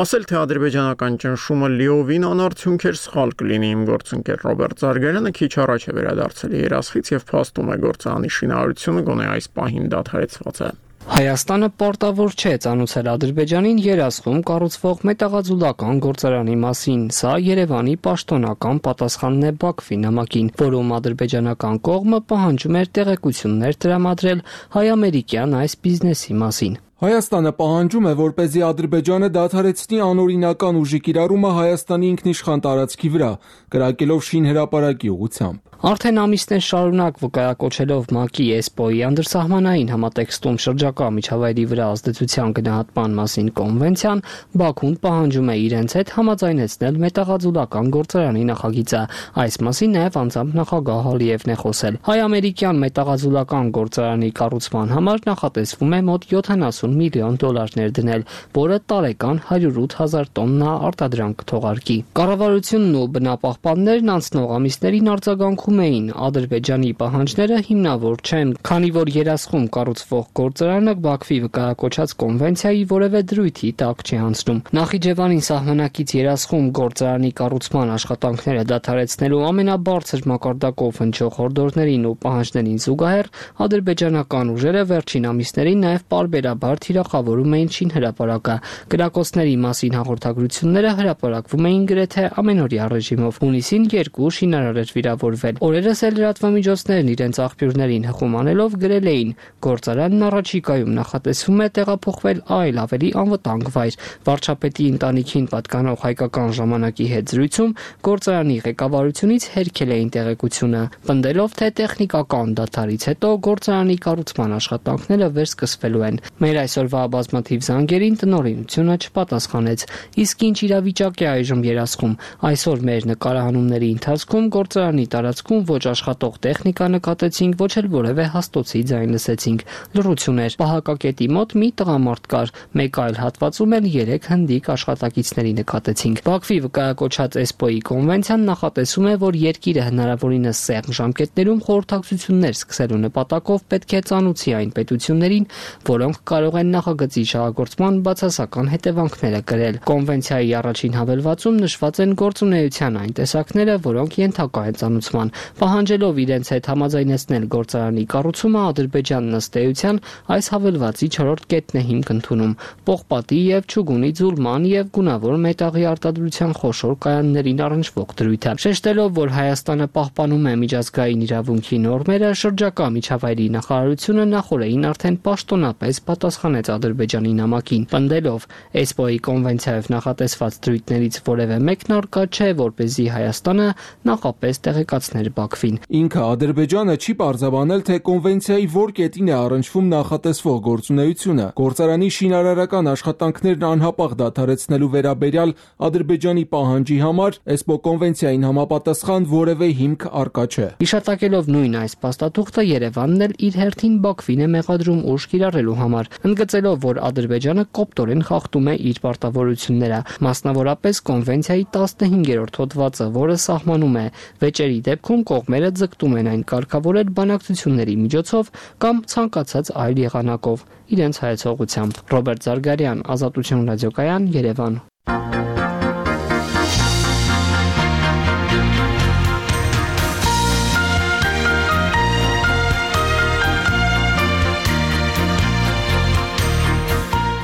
Ասել թե ադրբեջանական ճնշումը լիովին անարդյունք էր, սխալ կլինի։ Իմ գործընկեր Ռոբերտ Զարգարյանը քիչ առաջ է վերադարձել երասխից եւ փաստում է գործարանի շինարարությունը գոնե այս պահին դադարեցված է։ Հայաստանը պարտավոր չէ ծանուցել Ադրբեջանին երասխում կառուցվող մետաղաձուլական գործարանի մասին։ Սա Երևանի պաշտոնական պատասխանն է Բաքվի նամակին, որում ադրբեջանական կողմը պահանջում էր տեղեկություններ տրամադրել հայ-ամերիկյան այս բիզնեսի մասին։ Հայաստանը պահանջում է, որպեսզի Ադրբեջանը դադարեցնի անօրինական ուժի կիրառումը Հայաստանի ինքնիշխան տարածքի վրա, կրակելով շինհրապարակի ուղղությամբ։ Արդեն ամիսներ շարունակ վկայակոչելով ՄԱԿ-ի էսպոյի անդրսահմանային համատեքստում շրջակա միջավայրի վրա ազդեցության գնահատման մասին կոնվենցիան, Բաքուն պահանջում է իրենց հետ համաձայնեցնել մետաղաձուլական գործարանի նախագիծը։ Այս մասին նաև անձամբ նախագահ Ալիևն է խոսել։ Հայ-ամերիկյան մետաղաձուլական գործարանի կառուցման համար նախատեսվում է մոտ յոթանասուն յոթանասուն միլիոն դոլար ներդնել, որը տարեկան հարյուր ութ հազար տոննա արտադրանք կթողարկի։ Կառավարությունն ու բնապահպաններն անցնող ամիսներին արձագանքում էին Ադրբեջանի պահանջները հիմնավոր չեն, քանի որ երասխում կառուցվող գործարանը Բաքվի վկայակոչած կոնվենցիայի որևէ դրույթի տակ չի անցնում։ Նախիջևանին սահմանակից երասխում գործարանի կառուցման աշխատանքները դադարեցնելու ամենաբարձր մակարդակով հնչող հորդորներին ու պահանջներին զուգահեռ ադրբեջանական ուժերը վերջին ամիսներին նաև պարբերաբար թիրախավորում էին շինհրապարակը։ Կրակոցների մասին հաղորդագրությունները հրապարակվում էին գրեթե ամենօրյա ռեժիմով։ Հունիսին երկու շինարար էր վիրավորվել։ Օրերս էլ լրատվամիջոցներն իրենց աղբյուրներին հղում անելով գրել էին. գործարանն առաջիկայում նախատեսվում է տեղափոխվել այլ ավելի անվտանգ վայր։ Վարչապետի ընտանիքին պատկանող հայկական ժամանակի հետ զրույցում գործարանի ղեկավարությունից հերքել էին տեղեկությունը, պնդելով, թե տեխնիկական դադարից հետո գործարանի կառուցման աշխատանքները վերսկսվելու են։ Մեր այսօրվա բազմաթիվ զանգերին տնօրինությունը չպատասխանեց։ Իսկ ինչ իրավիճակ է այժմ երասխում։ Այսօր մեր նկարահանումների ընթացքում գործարանի տարածքում ոչ աշխատող տեխնիկա նկատեցինք, ոչ էլ որևէ հաստոցի ձայն լսեցինք։ Լռություն էր։ Պահակակետի մոտ մի տղամարդ կար, մեկ այլ հատվածում էլ երեք հնդիկ աշխատակիցների նկատեցինք։ Բաքվի վկայակոչած էսպոյի կոնվենցիան նախատեսում է, որ երկիրը հնարավորինս սեղմ ժամկետներում խորհրդակցություններ սկսելու նպատակով պետք է ծանուցի այն պետություններին, որոնք կարող են նախագծի շահագործման բացասական հետևանքները կրել։ Կոնվենցիայի առաջին հավելվածում նշված են գործունեության այն տեսակները, որոնք ենթակա են ծանուցման։ Պահանջելով իրենց հետ համաձայնեցնել գործարանի կառուցումը, Ադրբեջանն ըստ էության այս հավելվածի չորրորդ կետն է հիմք ընդունում։ Պողպատի եւ չուգունի ձուլման եւ գունավոր մետաղի արտադրության խոշոր կայաններին առնչվող դրույթը։ Շեշտելով, որ Հայաստանը պահպանում է միջազգային իրավունքի նորմերը, շրջակա միջավայրի նախարարությունը նախորդին արդեն պաշտոնապես պատասխանեց Ադրբեջանի նամակին, պնդելով, էսպոյի կոնվենցիայով նախատեսված դրույթներից որևէ մեկն առկա չէ, որպեսզի Հայաստանը նախապես տեղեկացներ Բաքվին։ Ինքը Ադրբեջանը չի պարզաբանել, թե կոնվենցիայի որ կետին է առնչվում նախատեսվող գործունեությունը։ Գործարանի շինարարական աշխատանքներն անհապաղ դադարեցնելու վերաբերյալ Ադրբեջանի պահանջի համար էսպո կոնվենցիային համապատասխան որևէ հիմք առկա չէ։ Հիշատակելով նույն այս փաստաթուղթը, Երևանն էլ իր հերթին Բաքվին է մեղադրում ուժ կիրառելու համար, ընդգծելով, որ Ադրբեջանը կոպտորեն խախտում է իր պարտավորությունները, մասնավորապես կոնվենցիայի տասնհինգերորդ հոդվածը, որը սահմանում է վեճերի դեպքում կողմերը ձգտում են այն կարգավորել բանակցությունների միջոցով կամ ցանկացած այլ եղանակով իրենց հայեցողությամբ։ Ռոբերտ Զարգարյան, Ազատություն ռադիոկայան, Երևան։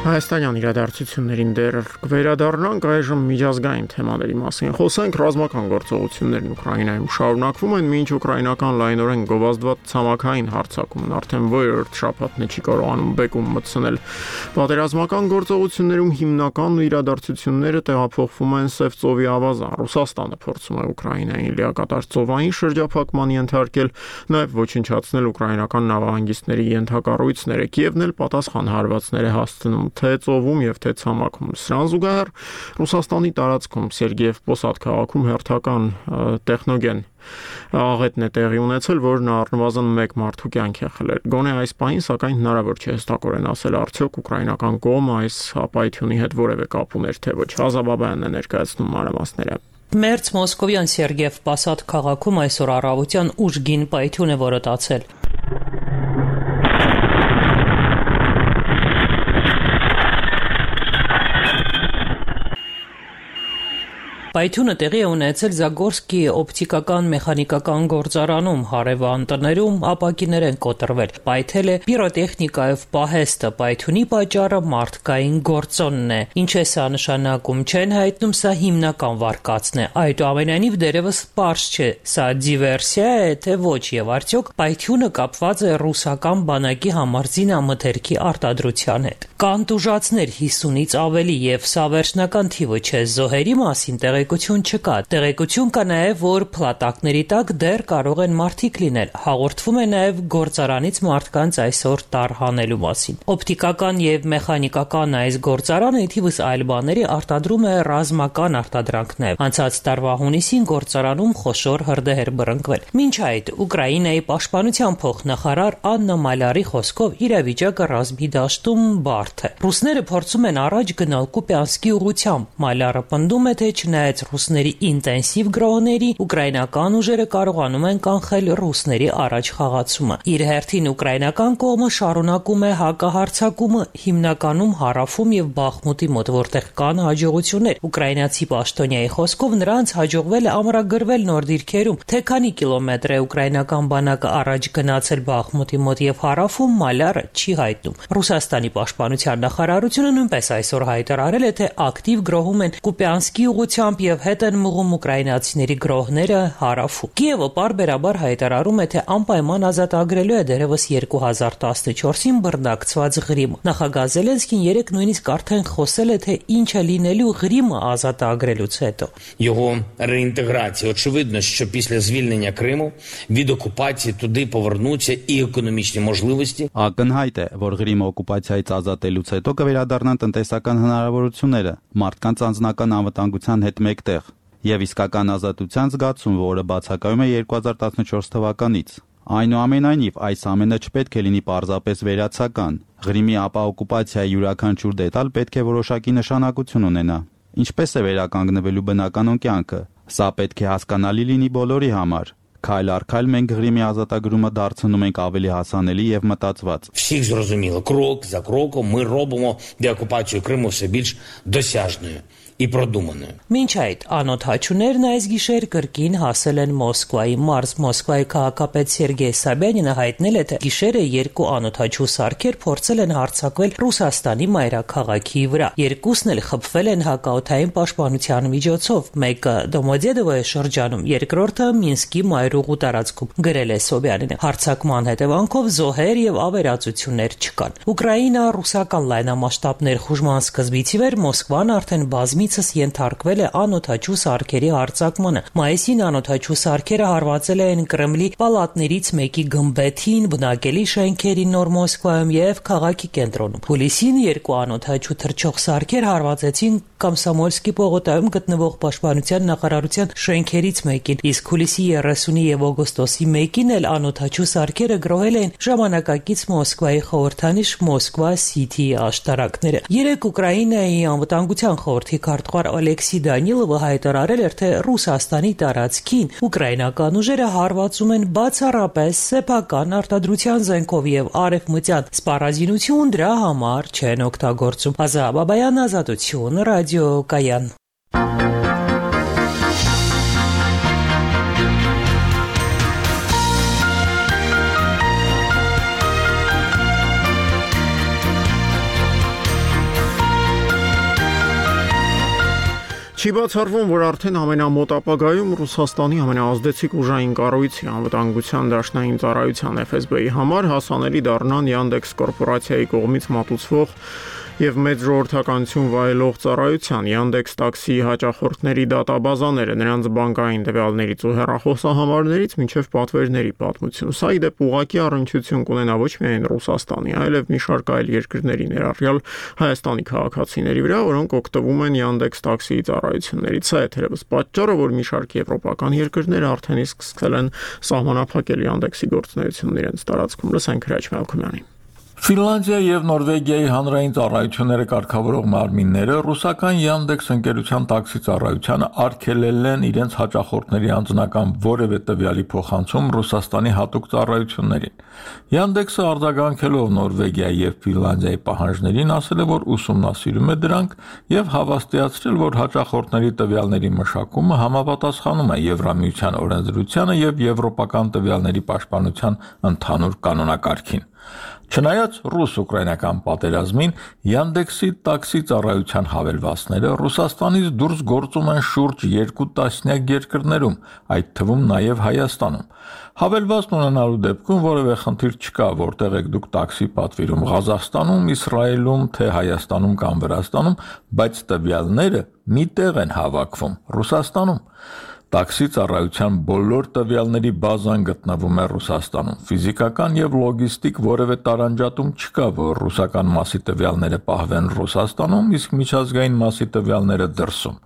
Հայաստանյան իրադարձություններին դեռ կվերադառնանք, այժմ միջազգային թեմաների մասին խոսենք։ Ռազմական գործողություններն Ուկրաինայում շարունակվում են, մինչ ուկրաինական լայնորեն գովազդված ցամաքային հարձակումն արդեն որերորդ շաբաթն է չի կարողանում բեկում մտցնել։ Պատերազմական գործողություններում հիմնական իրադարձությունները տեղափոխվում են Սև ծովի ավազան։ Ռուսաստանը փորձում է Ուկրաինային լիակատար ծովային շրջափակման ենթարկել, նաև ոչնչացնել ուկրաինական նավահանգիստների ենթակառույցները։ Կիևն էլ պատասխան հարվածներ է հասցնում թե ծովում եւ թե ցամաքում։ Սրան զուգահեռ Ռուսաստանի տարածքում Սերգեև Պոսադ քաղաքում հերթական տեխնոգեն աղետն է տեղի ունեցել, որն առնվազն մեկ մարդու կյանք է խլել։ Գոնե այս պահին, սակայն հնարավոր չէ հստակորեն ասել, արդյոք ուկրաինական կողմը այս ապայթյունի հետ որևէ կապ ուներ, թե ոչ։ Ազաբաբյանն է ներկայացնում մանրամասները։ Մերձ Մոսկովյան Սերգեև Պոսադ քաղաքում այսօր առավոտյան ուժգին պայթյուն է որոտացել։ Պայթյունը տեղի է ունեցել Զագորսկի օպտիկական մեխանիկական գործարանում, հարևան տներում ապակիներ են կոտրվել։ Պայթել է պիրոտեխնիկայով պահեստը, պայթյունի պատճառը մարդկային գործոնն է։ Ինչ է սա նշանակում, չեն հայտնում, սա հիմնական վարկածն է։ Այդուամենայնիվ դերևս պարզ չէ, սա դիվերսիա է, թե ոչ, եւ արդյոք պայթյունը կապված է ռուսական բանակի համար զինամթերքի արտադրության հետ։ Կան տուժածներ հիսունից ավելի, եւ սա վերջնական թիվը չէ։ Զոհերի մասին տեղի տեղեկություն չկա։ Տեղեկություն կա նաև, որ փլատակների տակ դեռ կարող են մարդիկ լինել։ Հաղորդվում է նաև գործարանից մարդկանց այսօր տարհանելու մասին։ Օպտիկական եւ մեխանիկական այս գործարանը թիվս այլ բաների արտադրում է ռազմական արտադրանքներ։ Անցած տարվա հունիսին գործարանում խոշոր հրդեհ էր բռնկվել։ Մինչ այդ Ուկրաինայի պաշտպանության փոխնախարար Աննա Մալարի խոսքով իրավիճակը ռազմի դաշտում բարդ է։ Ռուսները փորձում են առաջ գնալ Կուպյանսկի ուղղությամբ։ Մալարը պնդում է, թե չնայած ռուսների ինտենսիվ գրոհների, ուկրաինական ուժերը կարողանում են կանխել ռուսների առաջ խաղացումը։ Իր հերթին ուկրաինական կողմը շարունակում է հակահարձակումը հիմնականում հարավում եւ Բախմուտի մոտ, որտեղ կան հաջողություններ։ Ուկրաինացի պաշտոնյայի խոսքով նրանց հաջողվել է ամրագրվել նոր դիրքերում, թե քանի կիլոմետր է ուկրաինական բանակը առաջ գնացել Բախմուտի մոտ եւ հարավում Մալարը չի հայտնում։ Ռուսաստանի պաշտպանության նախարարությունը նույնպես այսօր հայտարարել է, թե ակտիվ գրոհում են Կուպյանսկի ուղղությամբ եւ հետ են մղում ուկրաինացիների գրոհները հարավում։ Կիևը պարբերաբար հայտարարում է, թե անպայման ազատագրելու է դերևս երկու հազար տասնչորսին բռնակցված Ղրիմը։ Նախագահ Զելենսկին երեկ նույնիսկ արդեն խոսել է, թե ինչ է լինելու Ղրիմը ազատագրելուց հետո։ Його реінтеграція. Очевидно, що після звільнення Криму від окупації туди повернуться і економічні можливості. Ակնհայտ է, որ Ղրիմը օկուպացիայից ազատելուց հետո կվերադառնան տնտեսական հնարավորությունները, մարդկանց անձնական անվտանգության հետ մեկտեղ եւ իսկական ազատության զգացում, որը բացակայում է երկու հազար տասնչորս թվականից։ Այնուամենայնիվ, այս ամենը չպետք է լինի պարզապես վերացական։ Ղրիմի ապա օկուպացիայի յուրաքանչյուր դետալ պետք է որոշակի նշանակություն ունենա։ Ինչպես է վերականգնվելու բնականոն կյանքը։ Սա պետք է հասկանալի լինի բոլորի համար։ Քայլ առ քայլ մենք Ղրիմի ազատագրումը դարձնում ենք ավելի հասանելի եւ մտածված։ Всіх зрозуміло, крок за кроком ми робимо деокупацію Криму все більш досяжною и продуманную. Մինչ այդ անօթաչուներն այս գիշեր կրկին հասել են Մոսկվայի մարզ։ Մոսկվայի քաղաքապետ Սերգեյ Սաբյանինը հայտնել է, թե գիշերը երկու անօթաչու սարքեր փորձել են հարձակվել Ռուսաստանի մայրաքաղաքի վրա։ Երկուսն էլ խփվել են հակաօդային պաշտպանության միջոցով։ Մեկը Դոմոդեդովոյի շրջանում, երկրորդը Մինսկի մայրուղու տարածքում, գրել է Սոբյանինը։ Հարձակման հետևանքով զոհեր եւ ավերածություններ չկան։ Ուկրաինա-ռուսական լայնամասշտաբ ներխուժման սկզբից ի վեր Մոսկվան արդեն բազմի ենթարկվել է անօթաչու սարքերի հարձակմանը։ Մայիսին անօթաչու սարքերը հարվածել են Կրեմլի պալատներից մեկի գմբեթին, բնակելի շենքերին Նոր Մոսկվայում եւ քաղաքի կենտրոնում։ Հուլիսին երկու անօթաչու թռչող սարքեր հարվածեցին Կոմսոմոլսկի պողոտայում գտնվող պաշտպանության նախարարության շենքերից մեկին, իսկ հուլիսի երեսունի եւ օգոստոսի մեկին էլ անօթաչու սարքերը գրոհել են ժամանակակից Մոսկվայի խորհրդանիշ Մոսկվա Սիթիի աշտարակները։ Երեք Ուկրաինայի անվտանգության խորհրդի քարտուղար Ալեքսի Դանիլովը հայտարարել էր, թե Ռուսաստանի տարածքին ուկրաինական ուժերը հարվածում են բացառապես սեփական արտադրության զենքով եւ արևմտյան սպառազինություն դրա համար չեն օգտագործում։ Ազա Բաբայան, Ազատություն, Ռադիո Կայան։ Չի բացառվում, որ արդեն ամենամոտ ապագայում Ռուսաստանի ամենաազդեցիկ ուժային կառույցի անվտանգության դաշնային ծառայության Էֆ Էս Բի-ի համար հասանելի դառնան Yandex կորպորացիայի կողմից մատուցվող եւ մեծ ժողովրդականություն վայելող ծառայության Yandex տաքսի հաճախորդների դատաբազաները, նրանց բանկային տվյալներից ու հեռախոսահամարներից մինչև պատվերների պատմություն։ Սա ի դեպ ուղղակի առնչություն կունենա ոչ միայն Ռուսաստանի, այլև մի շարք այլ երկրների, ներառյալ Հայաստանի քաղաքացիների վրա, որոնք օգտվում են Yandex տաքսիի ծառայություններից։ Սա է թերևս պատճառը, որ մի շարք եվրոպական երկրներ արդեն իսկ սկսել են սահմանափակել Yandex-ի գործունեությունն իրենց տարածքում։ Լսենք Հրաչ Մալքոմյանին։ Ֆինլանդիայի եւ Նորվեգիայի հանրային ծառայությունները կարգավորող մարմինները ռուսական Yandex ընկերության տաքսի ծառայությանը արգելել են իրենց հաճախորդների անձնական որևէ տվյալի փոխանցում Ռուսաստանի հատուկ ծառայություններին։ Yandex-ը արձագանքելով Նորվեգիայի եւ Ֆինլանդիայի պահանջներին ասել է, որ ուսումնասիրում է դրանք եւ հավաստիացրել, որ հաճախորդների տվյալների մշակումը համապատասխանում է Եվրամիության օրենսդրությանը եւ եվրոպական տվյալների պաշտպանության ընդհանուր կանոնակարգին։ Չնայած ռուս-ուկրաինական պատերազմին Yandex-ի տաքսի ծառայության հավելվածները Ռուսաստանից դուրս գործում են շուրջ երկու տասնյակ երկրներում, այդ թվում նաև Հայաստանում։ Հավելվածն ունենալու դեպքում որևէ խնդիր չկա, որտեղ եք դուք տաքսի պատվիրում Ղազախստանում, Իսրայելում, թե Հայաստանում կամ Վրաստանում, բայց տվյալները մի տեղ են հավաքվում՝ Ռուսաստանում։ Տաքսի ծառայության բոլոր տվյալների բազան գտնվում է Ռուսաստանում։ Ֆիզիկական եւ լոգիստիկ որևէ տարանջատում չկա, որ ռուսական մասի տվյալները պահվեն Ռուսաստանում, իսկ միջազգային մասի տվյալները դրսում։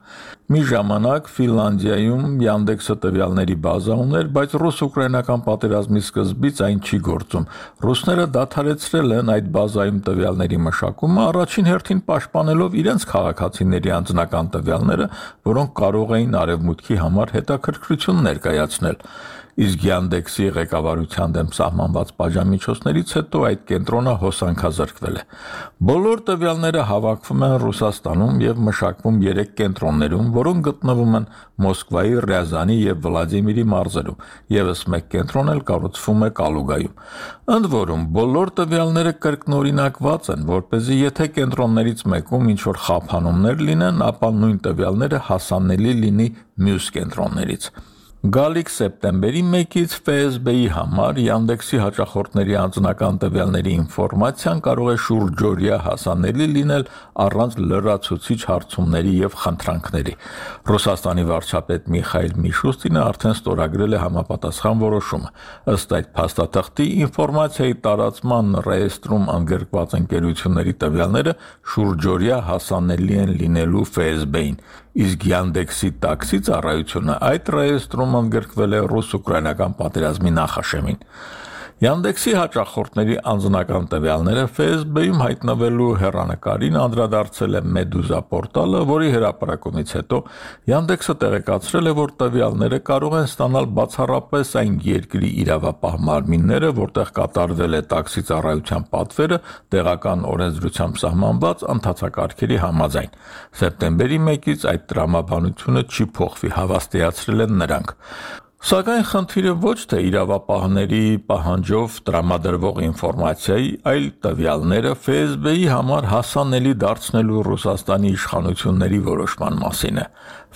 Մի ժամանակ Ֆինլանդիայում Yandex-ը տվյալների բազա ուներ, բայց ռուս-ուկրաինական պատերազմի սկզբից այն չի գործում։ Ռուսները դադարեցրել են այդ բազայում տվյալների մշակումը, առաջին հերթին պաշտպանելով իրենց քաղաքացիների անձնական տվյալները, որոնք կարող էին արևմուտքի համար հետաքրքրություն ներկայացնել։ Իսկ Yandex-ի ղեկավարության դեմ սահմանված պատժամիջոցներից հետո այդ կենտրոնը հոսանքազրկվել է։ Բոլոր տվյալները հավաքվում են Ռուսաստանում եւ մշակվում երեք կենտրոններում, որոնք գտնվում են Մոսկվայի, Ռիազանի եւ Վլադիմիրի մարզերում, եւս մեկ կենտրոն էլ կառուցվում է Կալուգայում։ Ընդ որում, բոլոր տվյալները կրկնօրինակված են, որպեսզի եթե կենտրոններից մեկում ինչ-որ խափանումներ լինեն, ապա նույն տվյալները հասանելի լինի մյուս կենտրոններից։ Գալիք սեպտեմբերի մեկից F S B-ի համար Yandex-ի հաճախորդների անձնական տվյալների ինֆորմացիան կարող է շուրջօրյա հասանելի լինել առանց լրացուցիչ հարցումների եւ խնդրանքների։ Ռուսաստանի վարչապետ Միխայիլ Միշուստինը արդեն ստորագրել է համապատասխան որոշումը։ Ըստ այդ փաստաթղթի ինֆորմացիայի տարածման ռեեստրում ընդգրկված ընկերությունների տվյալները շուրջօրյա հասանելի են լինելու F S B-ին, իսկ Yandex-ի տաքսի ծառայությունը այդ ռեեստրում ընդգրկվել է ռուս-ուկրաինական պատերազմի նախաշեմին։ Yandex-ի հաճախորդների անձնական տվյալները F S B-ում հայտնվելու հեռանկարին անդրադարձել է Meduza պորտալը, որի հրապարակումից հետո Yandex-ը տեղեկացրել է, որ տվյալները կարող են ստանալ բացառապես այն երկրի իրավապահ մարմինները, որտեղ կատարվել է տաքսի ծառայության պատվերը տեղական օրենսդրությամբ սահմանված ընթացակարգերի համաձայն։ Սեպտեմբերի մեկից այդ տրամաբանությունը չի փոխվի, հավաստիացրել են նրանք։ Սակայն խնդիրը ոչ թե իրավապահների պահանջով տրամադրվող ինֆորմացիայի, այլ տվյալները F S B-ի համար հասանելի դարձնելու Ռուսաստանի իշխանությունների որոշման մասին է։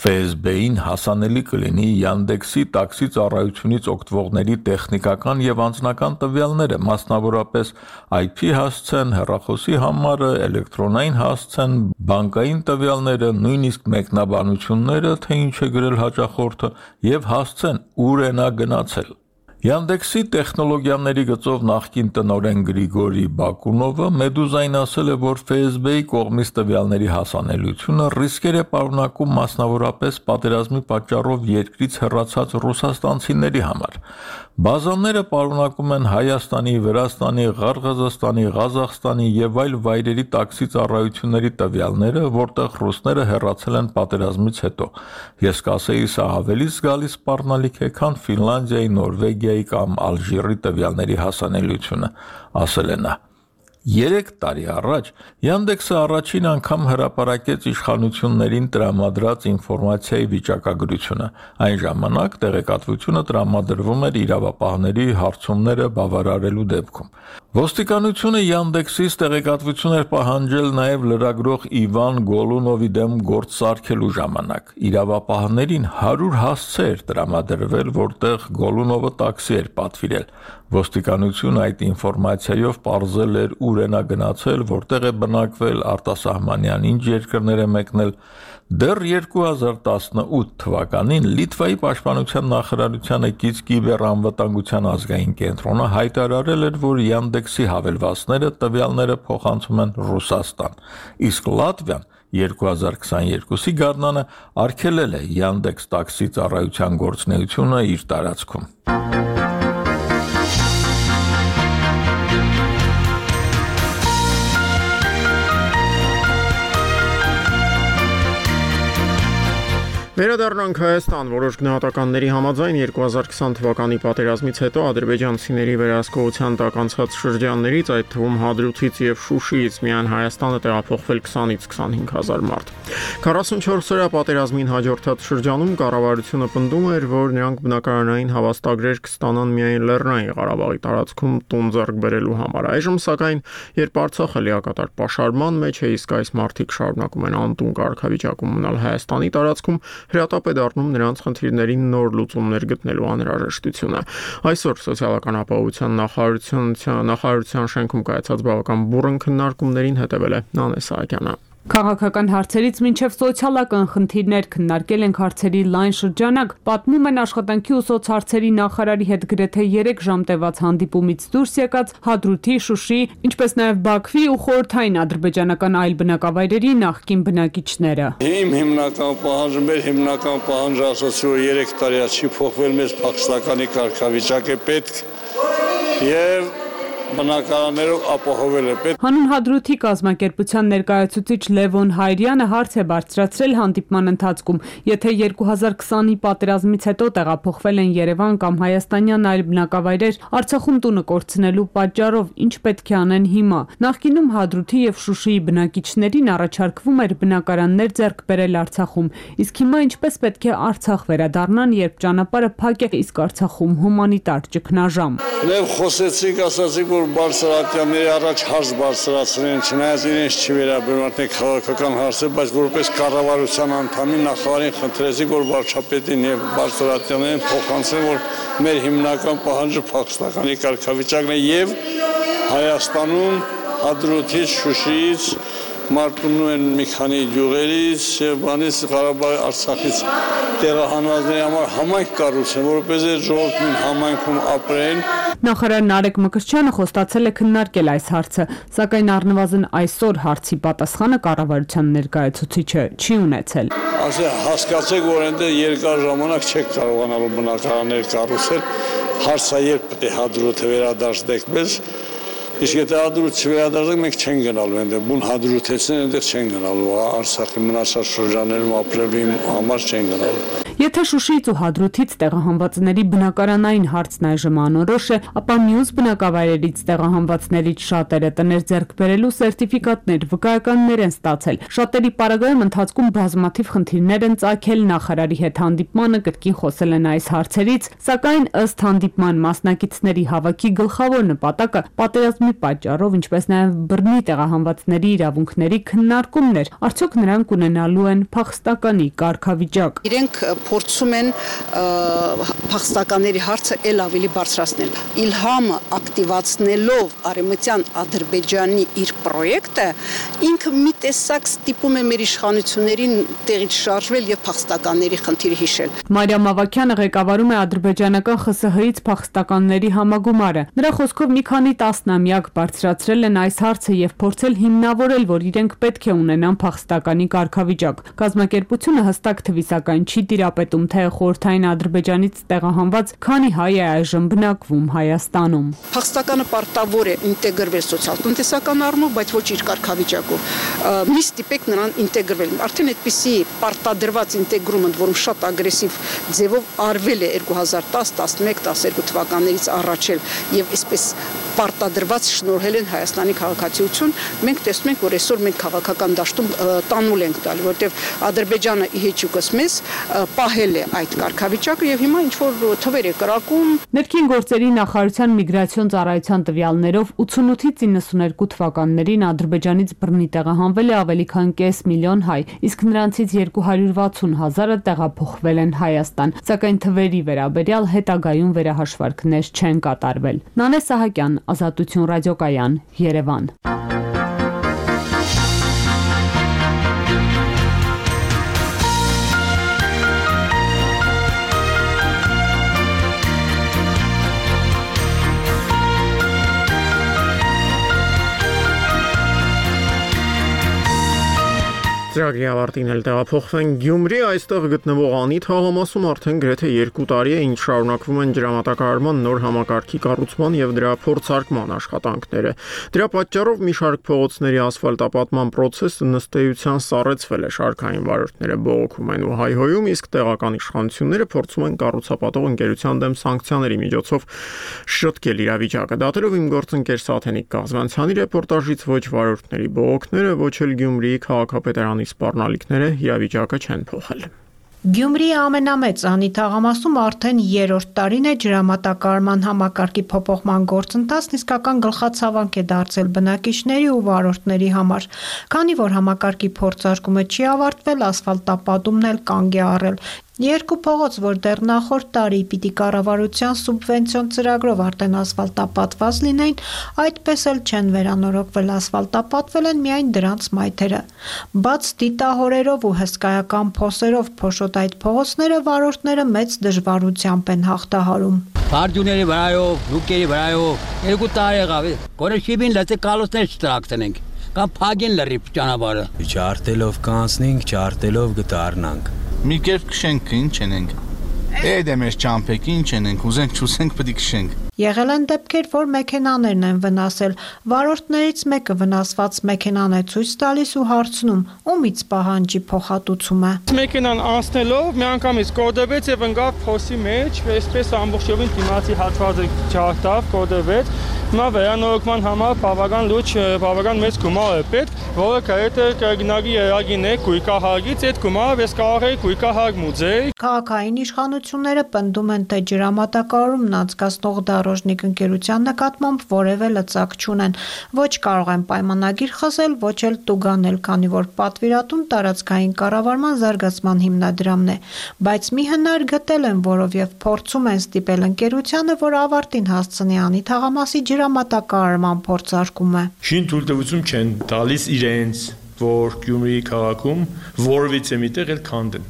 F S B-ին հասանելի կլինի Yandex-ի տաքսի ծառայությունից օգտվողների տեխնիկական եւ անձնական տվյալները, մասնավորապես I P հասցեն, հեռախոսի համարը, էլեկտրոնային հասցեն, բանկային տվյալները, նույնիսկ մեկնաբանությունները, թե ինչ է գրել հաճախորդը, եւ հասցեն ուր է նա գնացել։ Yandex-ի տեխնոլոգիաների գծով նախկին տնօրեն Գրիգորի Բակունովը Մեդուզային ասել է, որ F S B-ի կողմից տվյալների հասանելիությունը ռիսկեր է պարունակում մասնավորապես պատերազմի պատճառով երկրից հեռացած ռուսաստանցիների համար։ Բազաները պարունակում են Հայաստանի, Վրաստանի, Ղարղազստանի, Ղազախստանի եւ այլ վայրերի տաքսի ծառայությունների տվյալները, որտեղ ռուսները հեռացել են պատերազմից հետո։ Ես կասեի, սա ավելի զգալի սպառնալիք է, քան Ֆինլանդիայի, Նորվեգիայի կամ Ալժիրի տվյալների հասանելիությունը, ասել է նա։ Երեք տարի առաջ Yandex-ը առաջին անգամ հրապարակեց իշխանություններին տրամադրած ինֆորմացիայի վիճակագրությունը։ Այն ժամանակ տեղեկատվությունը տրամադրվում էր իրավապահների հարցումները բավարարելու դեպքում։ Ոստիկանությունը Yandex-ից տեղեկատվություն էր պահանջել նաև լրագրող Իվան Գոլունովի դեմ գործ սարքելու ժամանակ։ Իրավապահներին հարյուր հասցե էր տրամադրվել, որտեղ Գոլունովը տաքսի էր պատվիրել։ Ոստիկանությունը այդ ինֆորմացիայով պարզել էր ուր է նա գնացել, որտեղ է բնակվել, արտասահմանյան ինչ երկրներ է մեկնել։ Դեռ երկու հազար տասնութ թվականին Լիտվայի պաշտպանության նախարարությանը կից կիբերանվտանգության ազգային կենտրոնը հայտարարել էր, որ Yandex-ի հավելվածները տվյալները փոխանցում են Ռուսաստան, իսկ Լատվիան երկու հազար քսաներկուսի գարնանը արգելել է Yandex տաքսի ծառայության գործունեությունը իր տարածքում։ Վերադառնանք Հայաստան, որոշ գնահատականների համաձայն երկու հազար քսան թվականի պատերազմից հետո ադրբեջանցիների վերահսկողության տակ անցած շրջաններից, այդ թվում Հադրութից եւ Շուշիից միայն Հայաստանը տեղափոխվել քսանից քսանհինգ հազար մարդ։ քառասունչորս օրյա պատերազմին հաջորդած շրջանում կառավարությունը պնդում էր, որ նրանք բնակարանային հավաստագրեր կստանան միայն Լեռնային Ղարաբաղի տարածքում տուն ձեռք բերելու համար։ Այժմ սակայն, երբ Արցախը լիակատար պաշարման մեջ է, իսկ այս մարդիկ շարունակում են անտուն կարգավիճակում մնալ Հայաստանի տարածքում, հրատապ է դառնում նրանց խնդիրներին նոր լուծումներ գտնելու անհրաժեշտությունը։ Այսօր սոցիալական ապահովության նախարարության նախարարության շենքում կայացած բավական բուռն քննարկումներին հետևել է Նանե Սահակյանը։ Քաղաքական հարցերից մինչև սոցիալական խնդիրներ քննարկել ենք հարցերի լայն շրջանակ, պատմում են աշխատանքի ու սոցհարցերի նախարարի հետ գրեթե երեք ժամ տևած հանդիպումից դուրս եկած Հադրութի, Շուշիի, ինչպես նաև Բաքվի ու խորհրդային ադրբեջանական այլ բնակավայրերի նախկին բնակիչները։ Իմ հիմնական պահանջը, մեր հիմնական պահանջը ասացի, որ երեք տարի չի փոխվել, մեզ փախստականի կարգավիճակ է պետք եւ բնակարաններով ապահովել է պետք։ Հանուն Հադրութի կազմակերպության ներկայացուցիչ Լևոն Հայրյանը հարց է բարձրացրել հանդիպման ընթացքում, եթե երկու հազար քսանի պատերազմից հետո տեղափոխվել են Երևան կամ հայաստանյան այլ բնակավայրեր, Արցախում տունը կորցնելու պատճառով ինչ պետք է անեն հիմա։ Նախկինում Հադրութի եւ Շուշիի բնակիչներին առաջարկվում էր բնակարաններ ձեռք բերել Արցախում, իսկ հիմա ինչպես պետք է Արցախ վերադառնան, երբ ճանապարհը փակ է, իսկ Արցախում հումանիտար ճգնաժամ։ Եվ խոսեցիք, ասացիք, որ բարձրատյանների առաջ հարց բարձրացրեն, չնայած իրենց չի վերաբերում արդեն քաղաքական հարցեր, բայց որպես կառավարության անդամի նախարարին խնդրեցիք, որ վարչապետին եւ բարձրատյաններին փոխանցեն, որ մեր հիմնական պահանջը փախստականի կարգավիճակն է եւ Հայաստանում Հադրութից, Շուշիից մարտունում են մի քանի գյուղերից եւ բանից Ղարաբաղի Արցախից տեղահանվածների համար համայնք կառուցեն, որովհետեւ ժողովուրդն համայնքում ապրեն։ Նախարար Նարեկ Մկրտչյանը խոստացել է քննարկել այս հարցը, սակայն առնվազն այսօր հարցի պատասխանը կառավարության ներկայացուցիչը չի ունեցել։ Ասե հասկացեք, որ այնտեղ երկար ժամանակ չեք կարողանալու բնակարաններ կառուցել, հարցը երբ պետք է Հադրութը վերադարձնեք մեզ, իսկ եթե Հադրութը չվերադարձնեք, մենք չենք գնալու այնտեղ, բուն Հադրութեցին այնտեղ չեն գնալու, Արցախի մնացած շրջաններում ապրելու համար չեն գնալու։ Եթե Շուշիից ու Հադրութից տեղահանվածների բնակարանային հարցն այժմ անորոշ է, ապա մյուս բնակավայրերից տեղահանվածներից շատերը տներ ձեռք բերելու սերտիֆիկատներ, վկայականներ են ստացել։ Շատերի պարագայում ընթացքում բազմաթիվ խնդիրներ են ծագել, նախարարի հետ հանդիպմանը կրկին խոսել են այս հարցերից, սակայն ըստ հանդիպման մասնակիցների հավաքի գլխավոր նպատակը պատերազմի պատճառով, ինչպես նաև բռնի տեղահանվածների իրավունքների քննարկումն էր, արդյոք նրանք ունենալու են փախստականի կարգավիճակ։ Իրենք փորձում են փախստականների հարցը ել ավելի բարձրացնել։ Իլհամը ակտիվացնելով Արևմտյան Ադրբեջանի իր պրոյեկտը, ինքը մի տեսակ ստիպում է մեր իշխանություններին տեղից շարժվել եւ փախստականների խնդիրը հիշել։ Մարիամ Ավագյանը ղեկավարում է ադրբեջանական Խ ՍՀ -ից փախստականների համագումարը։ Նրա խոսքով մի քանի տասնամյակ բարձրացրել են այս հարցը եւ փորձել հիմնավորել, որ իրենք պետք է ունենան փախստականի կարգավիճակ։ Կազմակերպությունը հստակ թվի սակայն չի տիրապետում, թե խորհրդային Ադրբեջանից տեղահանված քանի հայ է այժմ բնակվում Հայաստանում։ Փախստականը պարտավոր է ինտեգրվել սոցիալ-տնտեսական առումով, բայց ոչ իր կարգավիճակով։ Մի ստիպեք նրան ինտեգրվել։ Արդեն այդպիսի պարտադրված ինտեգրումը, որում շատ ագրեսիվ ձևով արվել է երկու հազար տաս, տասնմեկ, տասներկու թվականներից առաջ եւ այսպես պարտադրված շնորհել են Հայաստանի քաղաքացիություն, մենք տեսնում ենք, որ այսօր մենք քաղաքական դաշտում տանուլ ենք տալի, որտեղ Ադրբեջանը իհեճուկս մեզ պահել է այդ կարգավիճակը եւ հիմա ինչ որ թվեր է կրակում։ Ներքին գործերի նախարարության միգրացիոն ծառայության տվյալներով ութանութից իննսուներկու թվականներին Ադրբեջանից բռնի տեղահանվել է ավելի քան կես միլիոն հայ, իսկ նրանցից երկու հարյուր վաթսուն հազարը տեղափոխվել են Հայաստան, սակայն թվերի վերաբերյալ հետագայում վերահաշվարկներ չեն կատարվել։ Նանե Սահակյան, Ազատություն ռադիոկայան, Երևան։ Ծրագրի ավարտին էլ տեղափոխվեն Գյումրի, այստեղ գտնվող Անի թաղամասում արդեն գրեթե երկու տարի է, ինչ շարունակվում են ջրամատակարարման նոր համակարգի կառուցման եւ դրա փորձարկման աշխատանքները։ Դրա պատճառով մի շարք փողոցների ասֆալտապատման process-ը նստեյության սառեցվել է, շարքային վարորդները բողոքում են ու հայհոյում, իսկ տեղական իշխանությունները փորձում են կառուցապատող ընկերության դեմ սանկցիաների միջոցով շտկել իրավիճակը։ Դատելով իմ գործընկեր Սաթենիկ Կազմանցյանի ռեպորտաժից ոչ վարորդների բողոքները, ոչ էլ Գյումրիի քաղաքապետարանի սպառնալիքները իրավիճակը չեն փոխել։ Գյումրիի ամենամեծ Անի թաղամասում արդեն երրորդ տարին է ջրամատակարարման համակարգի փոփոխման գործընթացն իսկական գլխացավանք է դարձել բնակիչների ու վարորդների համար, քանի որ համակարգի փորձարկումը չի ավարտվել, ասֆալտապատումն էլ կանգ է առել։ Երկու փողոց, որ դեռ նախորդ տարի պիտի կառավարության սուբվենցիոն ծրագրով արդեն ասֆալտապատված լինեին, այդպես էլ չեն վերանորոգվել, ասֆալտապատվել են միայն դրանց մայթերը։ Բաց դիտահորերով ու հսկայական փոսերով փոշոտ այդ փողոցները վարորդները մեծ դժվարությամբ են հաղթահարում։ Բարձուների վրայով, լուկերի վրայով, երկու տարի եղավ, գոնե շիբին լծե կալոսներ չտրակցնենք, կամ փագին լրիվ ճանապարհը։ Չարտելով կանցնենք, չարտելով գտարնանք։ Մի կերպ քշենք, ինչ ենք։ Էդ է մեր ճամփեք, ինչ ենք, ուզենք չուսենք, պետք է քշենք։ Եղել են դեպքեր, որ մեքենաներն են վնասել։ Վարորդներից մեկը վնասված մեքենան է ցույց տալիս ու հարցնում, ումից պահանջի փոխհատուցումը։ Մեքենան անցնելով միանգամից կոդվեց եւ ընկավ փոսի մեջ, այսպես ամբողջովին դիմացի հատվածը ջարդավ, կոդվեց։ Հիմա վերանորոգման համար բավական լուրջ, բավական մեծ գումար է պետք, որը կայեթե կգնագի երագին է գույկահարգից, այդ գումարը ես կարող էի գույկահարկ մուծել։ Քաղաքային իշխանությունները պնդում են, թե ջրամատակարարումն անցկացնող դարոժնիկ ընկերության նկատմամբ որևէ լծակ չունեն, ոչ կարող են պայմանագիր խզել, ոչ էլ տուգանել, քանի որ պատվիրատուն տարածքային կառավարման զարգացման հիմնադրամն է, բայց մի հնար գտել են, որով եւ փորձում են ստիպել ընկերությանը, որ ավարտին հասցնի Անի թաղամասի ջրամատակարարման փորձարկումը։ Շին թույլտվություն չեն տալիս իրենց, որ Գյումրիի քաղաքում որևիցե միտեղ էլ քանդեն։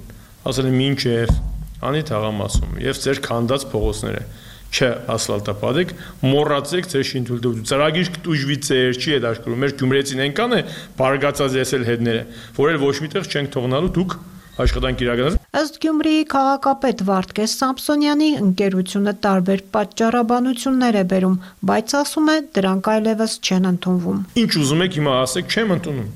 Ասել են մինչև Անի թաղամասում եւ ձեր քանդած փողոցները չէ ասֆալտապատեք, մոռացեք ձեր շինթույլտվությունը։ Ծրագիր կտուժվի ձեր չի հետաքրքրում։ Մեր գյումրեցին այնքան է բարգացած եսել հետները, որ էլ ոչ միտեղ չենք թողնալու դուք աշխատանք իրականացրեք։ Ըստ Գյումրիի քաղաքապետ Վարդգես Սամսոնյանի ընկերությունը տարբեր պատճառաբանություններ է բերում, բայց ասում է դրանք այլևս չեն ընդունվում։ Ինչ ուզում եք հիմա ասեք, չեմ ընդունում։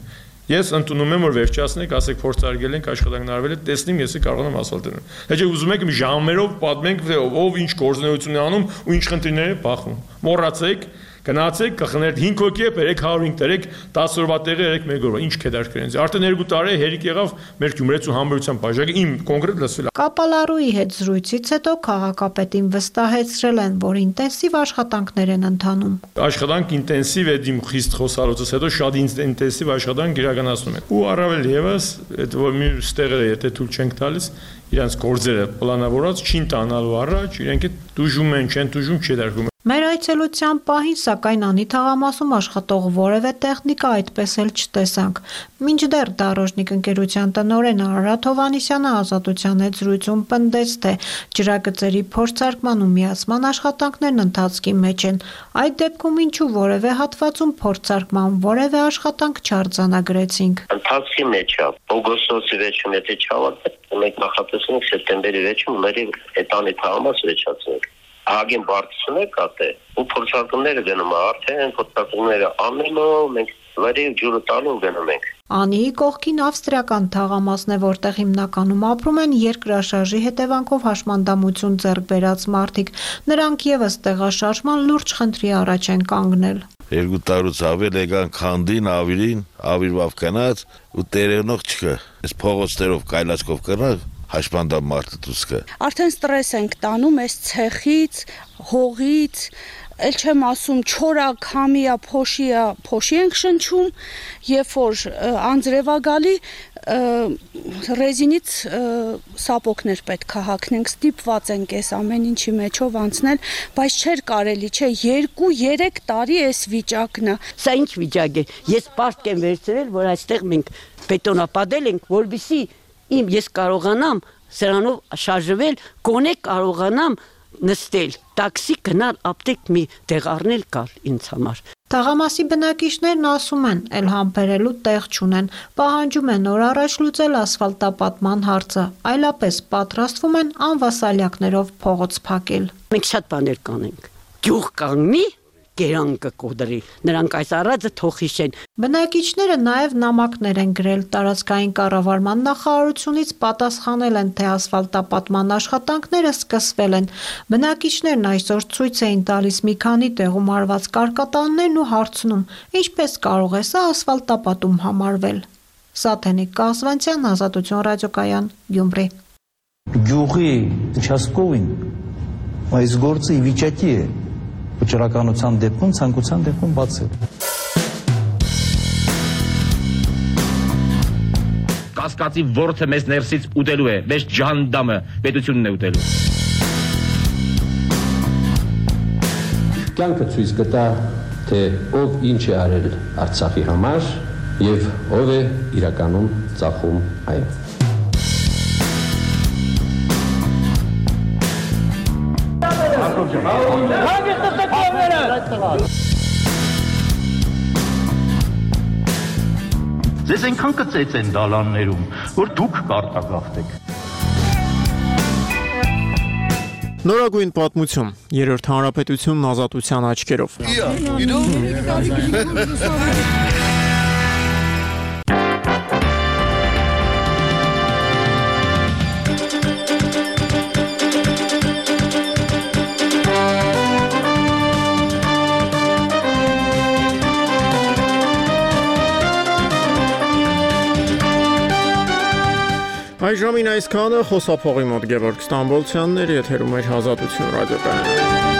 Ես ընդունում եմ, որ վերջացնենք, ասեք փորձարկել ենք, աշխատանքն արվել է, տեսնեմ, ես կարող եմ ասֆալտել։ Հետո ուզում եք ժամերով պատմենք, թե ով ինչ գործունեություն է անում ու ինչ խնդիրներ է բախվում։ Մոռացեք, գնացեք, կխներդ հինգ հոգի է, երեք հարյուր հինգ տերեք, տասը օրվա տեղը երեք մեկ օրվա, ինչ կդարկրենց։ Արդեն երկու տարի հերիք եղավ մեր Գյումրեցու համբերության բաժակը իմ կոնկրետ լսվել։ Կապալարուի հետ զրույցից հետո քաղաքապետին վստահեցրել են, որ ինտենսիվ աշխատանքներ են ընթանում։ Աշխատանք ինտենսիվ է դիմ խիստ խոսալուց հետո շատ ինտենսիվ աշխատանք իրականացնում են։ Ու առավել եւս, այդ որ մի ստեղերը եթե թույլ չենք տալիս, իրանց գործերը պլանավորած չին տանալու առաջ, իրենք է դուժում են, չեն դուժում, չի դարկում։ Մեր այցելության պահին, սակայն Անի թաղամասում աշխատող որևէ տեխնիկա այդպես էլ չտեսանք։ Մինչդեռ դարոժնիկ ընկերության տնօրեն Արարատ Հովհաննիսյանը Ազատության հետ զրույցում պնդեց, թե ջրագծերի փորձարկման ու միացման աշխատանքներն ընթացքի մեջ են։ Այդ դեպքում ինչու որևէ հատվածում փորձարկման որևէ աշխատանք չարձանագրեցինք։ Ընթացքի մեջ է, օգոստոսի վերջում եթե չավարտվի, մենք նախատեսում ենք սեպտեմբերի վերջում մեր այդ Անի թաղամասը վերջացնենք։ Ագեն բարձրացնել կատե ու փորձարկումները գնում է արդեն փորձարկումները ամենով մենք վարի ջուրը տալու գնում ենք։ Անիի կողքին ավստրիական թաղամասն է, որտեղ հիմնականում ապրում են երկրաշարժի հետևանքով հաշմանդամություն ձեռք բերած մարդիկ։ Նրանք եւս տեղաշարժման լուրջ խնդրի առաջ են կանգնել։ Երկու տարուց ավել եկան քանդին, ավիրին, ավիրվավ կնած ու տերենող չկա։ Այս փողոցներով կայլացկով կրնակ հաշմանդամ մարդը դուսկը։ Արդեն ստրես ենք տանում այս ցեխից, հողից, էլ չեմ ասում չորա, քամիա, փոշիա, փոշի ենք շնչում, երբ որ անձրևա գալի ռեզինից սապոկներ պետք է հագնենք, ստիպված ենք այս ամեն ինչի մեջով անցնել, բայց չէր կարելի, չէ, երկու երեք տարի այս վիճակն է։ Սա ինչ վիճակ է։ Ես պարտք եմ վերցրել, որ այստեղ մենք բետոնապատել ենք, որովհետեւ իմ ես կարողանամ սրանով շարժվել, գոնե կարողանամ նստել, տաքսի գնալ, ապտեք մի տեղ առնել գալ ինձ համար։ Թաղամասի բնակիչներն ասում են, էլ համբերելու տեղ չունեն, պահանջում են օր առաջ լուծել ասֆալտապատման հարցը, այլապես պատրաստվում են անվասալյակներով փողոց փակել։ Մենք շատ բաներ կանենք։ Գյուղ կանգնի, գերանքը կոդրի, նրանք այս առածը թող հիշեն։ Բնակիչները նաև նամակներ են գրել տարածքային կառավարման նախարարությունից, պատասխանել են, թե ասֆալտապատման աշխատանքները սկսվել են։ Բնակիչներն այսօր ցույց էին տալիս մի քանի տեղում արված կարկատաններն ու հարցնում, ինչպես կարող է սա ասֆալտապատում համարվել։ Սաթենիկ Կասվանցյան, Ազատություն ռադիոկայան, Գյումրի։ Գյուղի участковին այս գործը ի վիճակի է վճռականության դեպքում, ցանկության դեպքում բացել։ Կասկածի ворթը մեզ ներսից ուտելու է, մեզ ջանդամը պետությունն է ուտելու։ Կյանքը ցույց կտա, թե ով ինչ է արել Արցախի համար եւ ով է իրականում ծախում այն։ Ձեզ այնքան կծեց են դալաններում, որ դուք կարտագաղթեք։ Նորագույն պատմություն, երրորդ հանրապետությունն ազատության աչքերով։ Այժմին այսքանը, խոսափողի մոտ Գևորգ Ստամբոլցյանն էր, եթերում էր Ազատություն ռադիոկայանը։